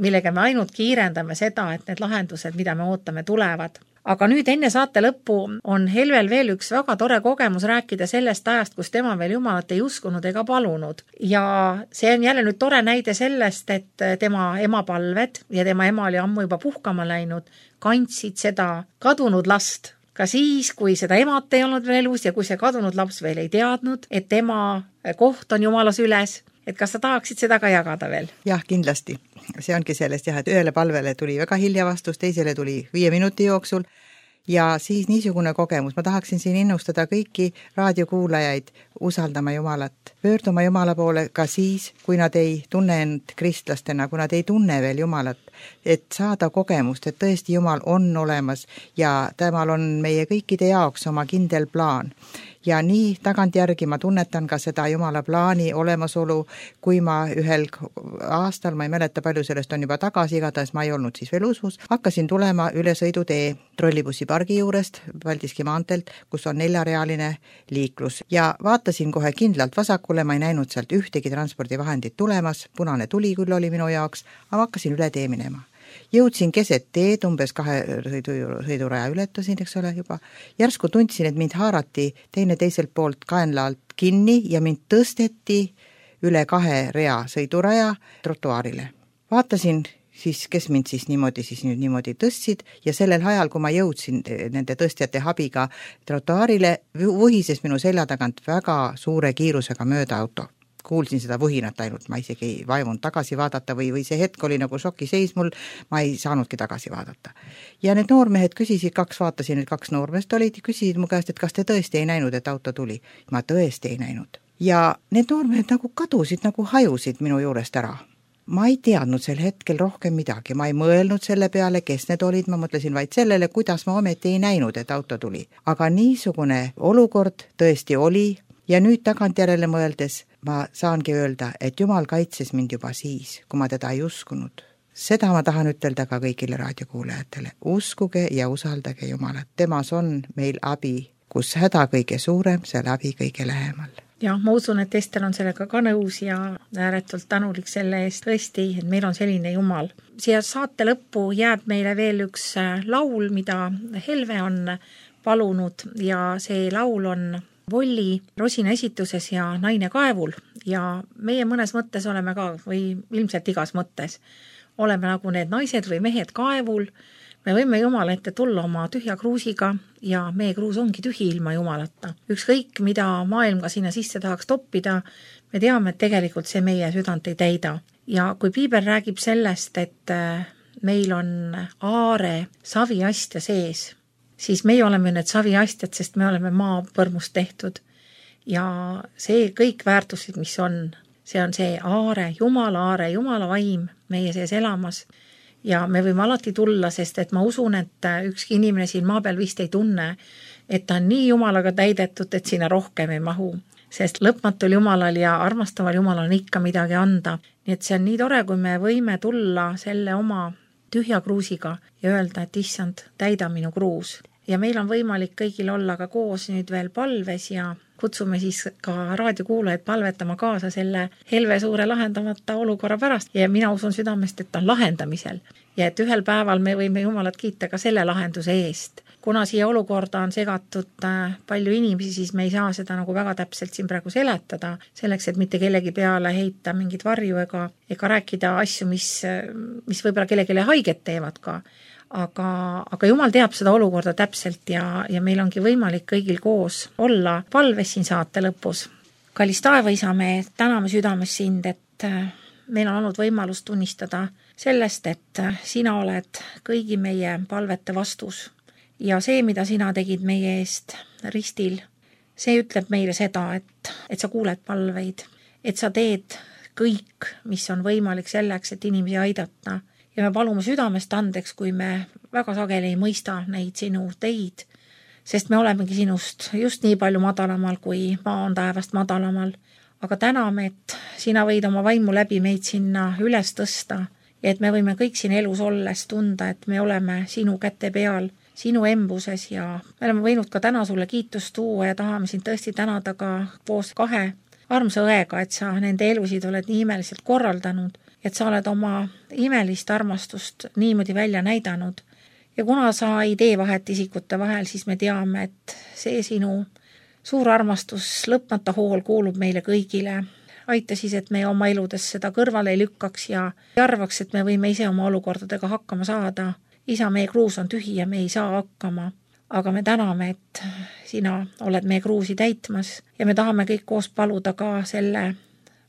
Speaker 2: millega me ainult kiirendame seda, et need lahendused, mida me ootame, tulevad. Aga nüüd enne saate lõppu on Helvel veel üks väga tore kogemus rääkida sellest ajast, kus tema veel Jumalat ei uskunud ega palunud. Ja see on jälle nüüd tore näide sellest, et tema ema palved ja tema ema oli ammu juba puhkama läinud, kandsid seda kadunud last ka siis, kui seda emat ei olnud veel elus ja kui see kadunud laps veel ei teadnud, et tema koht on Jumala süles, et kas sa tahaksid seda ka jagada veel?
Speaker 3: Jah, kindlasti. See ongi sellest jah, et ühele palvele tuli väga hilja vastus, teisele tuli 5 minuti jooksul ja siis niisugune kogemus. Ma tahaksin siin innustada kõiki raadiokuulajaid usaldama Jumalat, pöörduma Jumala poole ka siis, kui nad ei tunne end kristlastena, kui nad ei tunne veel Jumalat, et saada kogemust, et tõesti Jumal on olemas ja temal on meie kõikide jaoks oma kindel plaan. Ja nii tagantjärgi ma tunnetan ka seda Jumala plaani olemasolu, kui ma ühel aastal, ma ei mäleta palju sellest on juba tagasi, igatahes ma ei olnud siis veel usus, hakkasin tulema üle sõidutee trollibussipargi juurest, Paldiski maanteelt, kus on 4-realine liiklus ja vaatasin kohe kindlalt vasakule, ma ei näinud sealt ühtegi transpordivahendit tulemas, punane tuli küll oli minu jaoks, aga hakkasin üle tee minema. Jõudsin keset teed, umbes 2 sõiduraja ületasin, eks ole juba. Järsku tundsin, et mind haarati teiselt poolt kaenla alt kinni ja mind tõsteti üle 2 rea sõiduraja trotuaarile. Vaatasin siis, kes mind siis niimoodi tõstsid ja sellel ajal, kui ma jõudsin nende tõstjate abiga trotuaarile, vuhises minu selja tagant väga suure kiirusega mööda auto. Kuulsin seda vuhinat ainult, ma isegi ei vaimunud tagasi vaadata või see hetk oli nagu šokiseis mul, ma ei saanudki tagasi vaadata. Ja need noormehed küsisid, vaatasin, et 2 noormeest olid, küsisid mu käest, et kas te tõesti ei näinud, et auto tuli. Ma tõesti ei näinud. Ja need noormehed nagu kadusid, nagu hajusid minu juurest ära. Ma ei teadnud sel hetkel rohkem midagi, ma ei mõelnud selle peale, kes need olid, ma mõtlesin vaid sellele, kuidas ma ometi ei näinud, et auto tuli. Aga niisugune olukord tõesti oli ja nüüd tagantjärele mõeldes ma saangi öelda, et Jumal kaitses mind juba siis, kui ma teda ei uskunud. Seda ma tahan ütelda ka kõigile raadiokuulajatele. Uskuge ja usaldage Jumalat. Temas on meil abi, kus häda kõige suurem, seal abi kõige lähemal.
Speaker 2: Ja ma usun, et Ester on sellega ka nõus ja ääretult tänulik selle eest tõesti, et meil on selline Jumal. Siia saate lõppu jääb meile veel üks laul, mida Helve on palunud ja see laul on Volli Rosina esituses ja Naine kaevul ja meie mõnes mõttes oleme ka või ilmselt igas mõttes oleme nagu need naised või mehed kaevul. Me võime Jumala ette tulla oma tühja kruusiga ja meie kruus ongi tühi ilma Jumalata. Ükskõik, mida maailm ka sinna sisse tahaks toppida, me teame, et tegelikult see meie südant ei täida. Ja kui Piibel räägib sellest, et meil on aare saviastja sees, siis meie oleme need saviastjad, sest me oleme maapõrmust tehtud. Ja see kõik väärtuslik, mis on, see on see aare, Jumala vaim meie sees elamas. Ja me võime alati tulla, sest et ma usun, et ükski inimene siin maa peal vist ei tunne, et ta on nii Jumalaga täidetud, et sinna rohkem ei mahu. Sest lõpmatul Jumalal ja armastaval Jumalal on ikka midagi anda. Nii et see on nii tore, kui me võime tulla selle oma tühja kruusiga ja öelda, et issand, täida minu kruus. Ja meil on võimalik kõigil olla ka koos nüüd veel palves ja kutsume siis ka raadiokuulajaid palvetama kaasa selle Helve suure lahendamata olukorra pärast. Ja mina usun südamest, et ta on lahendamisel. Ja et ühel päeval me võime Jumalat kiita ka selle lahenduse eest. Kuna siia olukorda on segatud palju inimesi, siis me ei saa seda nagu väga täpselt siin praegu seletada, selleks, et mitte kellegi peale heita mingit varju ega rääkida asju, mis võib-olla kellelegi haiget teevad ka. Aga Jumal teab seda olukorda täpselt ja meil ongi võimalik kõigil koos olla palves siin saate lõpus. Kallis taevaisa, me täname südames sind, et meil on olnud võimalus tunnistada sellest, et sina oled kõigi meie palvete vastus. Ja see, mida sina tegid meie eest ristil, see ütleb meile seda, et sa kuuled palveid, et sa teed kõik, mis on võimalik selleks, et inimesi aidata. Ja me palume südamest andeks, kui me väga sageli ei mõista neid sinu teid, sest me olemegi sinust just nii palju madalamal, kui maa on taevast madalamal. Aga täname, et sina võid oma vaimu läbi meid sinna üles tõsta ja et me võime kõik siin elus olles tunda, et me oleme sinu käte peal, sinu embuses ja me oleme võinud ka täna sulle kiitust tuua ja tahame sind tõesti tänada ka koos 2 armsa õega, et sa nende elusid oled nii imeliselt korraldanud, et sa oled oma imelist armastust niimoodi välja näidanud. Ja kuna sa ei tee vahet isikute vahel, siis me teame, et see sinu suur armastus, lõpmata hool kuulub meile kõigile. Aita siis, et me oma eludes seda kõrvale ei lükkaks ja arvaks, et me võime ise oma olukordadega hakkama saada. Isa, meie kruus on tühi ja me ei saa hakkama. aga me täname, et sina oled meie kruusi täitmas ja me tahame kõik koos paluda ka selle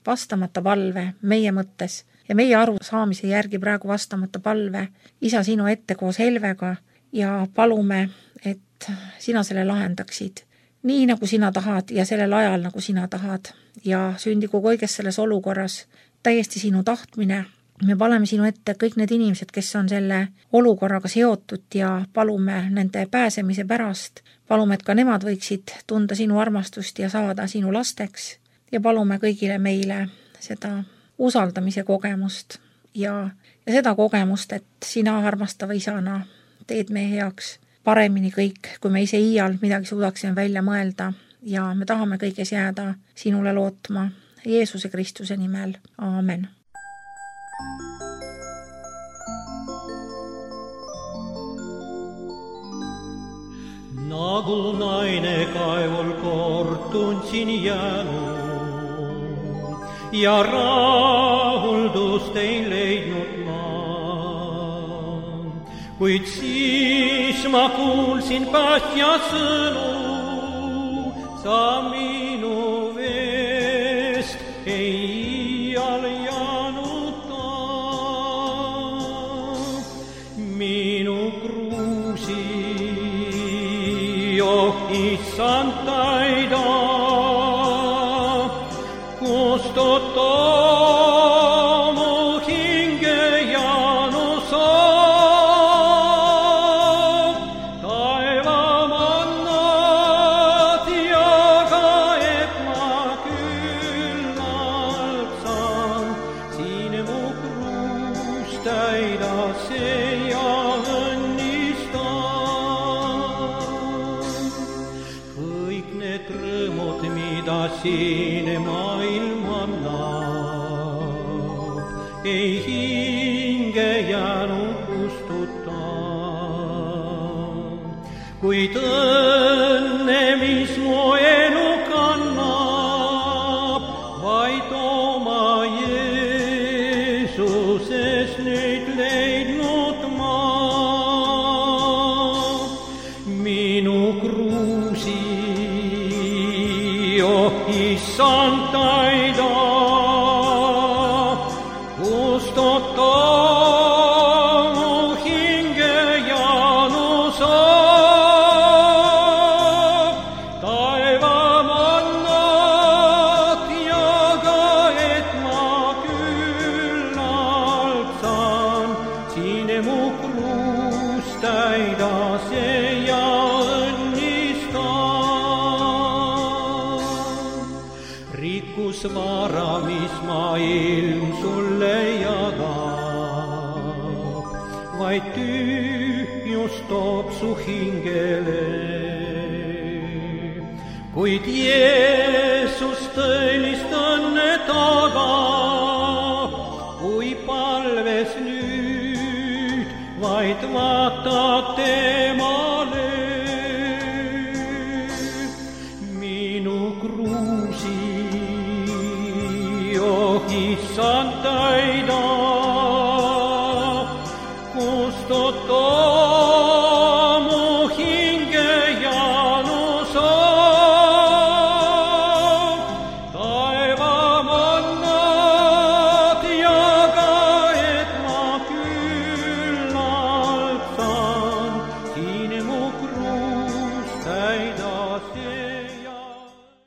Speaker 2: vastamata palve meie mõttes ja meie arusaamise järgi praegu vastamata palve Isa sinu ette koos Helvega ja palume, et sina selle lahendaksid nii, nagu sina tahad ja sellel ajal, nagu sina tahad ja sündigu kõiges selles olukorras täiesti sinu tahtmine. Me paleme sinu ette kõik need inimesed, kes on selle olukorraga seotud ja palume nende pääsemise pärast. Palume, et ka nemad võiksid tunda sinu armastust ja saada sinu lasteks ja palume kõigile meile seda usaldamise kogemust ja seda kogemust, et sina armastava isana teed meie heaks paremini kõik, kui me ise iial midagi suudaksime välja mõelda ja me tahame kõiges jääda sinule lootma Jeesuse Kristuse nimel. Aamen.
Speaker 5: Nagu naine kaevul kord tundsin jäänud ja rahuldust ei leidnud ma. Kuid siis ma kuulsin päästja sõnu, sa minu veest ei iial jäänud ta. Minu kruusi, Issand täida, kustuta mu hinge jäänu saab. Taevamannad jaga, et ma küllalt saan. Siin mu kruus täida see ja mida siin maailm annab, ei hinge jäänud kustuta. Kuid õnne, mis mu elu kannab, vaid oma Jeesuses nüüd leidnud ma. Minu kruusi Issand täida, kustuta mu hinge jäänu saab. Taevamannad jaga, et ma küllalt saan. Siin mu kruus täida see ja rikkus vara, mis maailm sulle jagab, vaid tühjus toob su hingele. Kuid Jeesus tõelist õnne tagab, kui palves nüüd vaid vaatad temale. Minu kruusi Issand täida,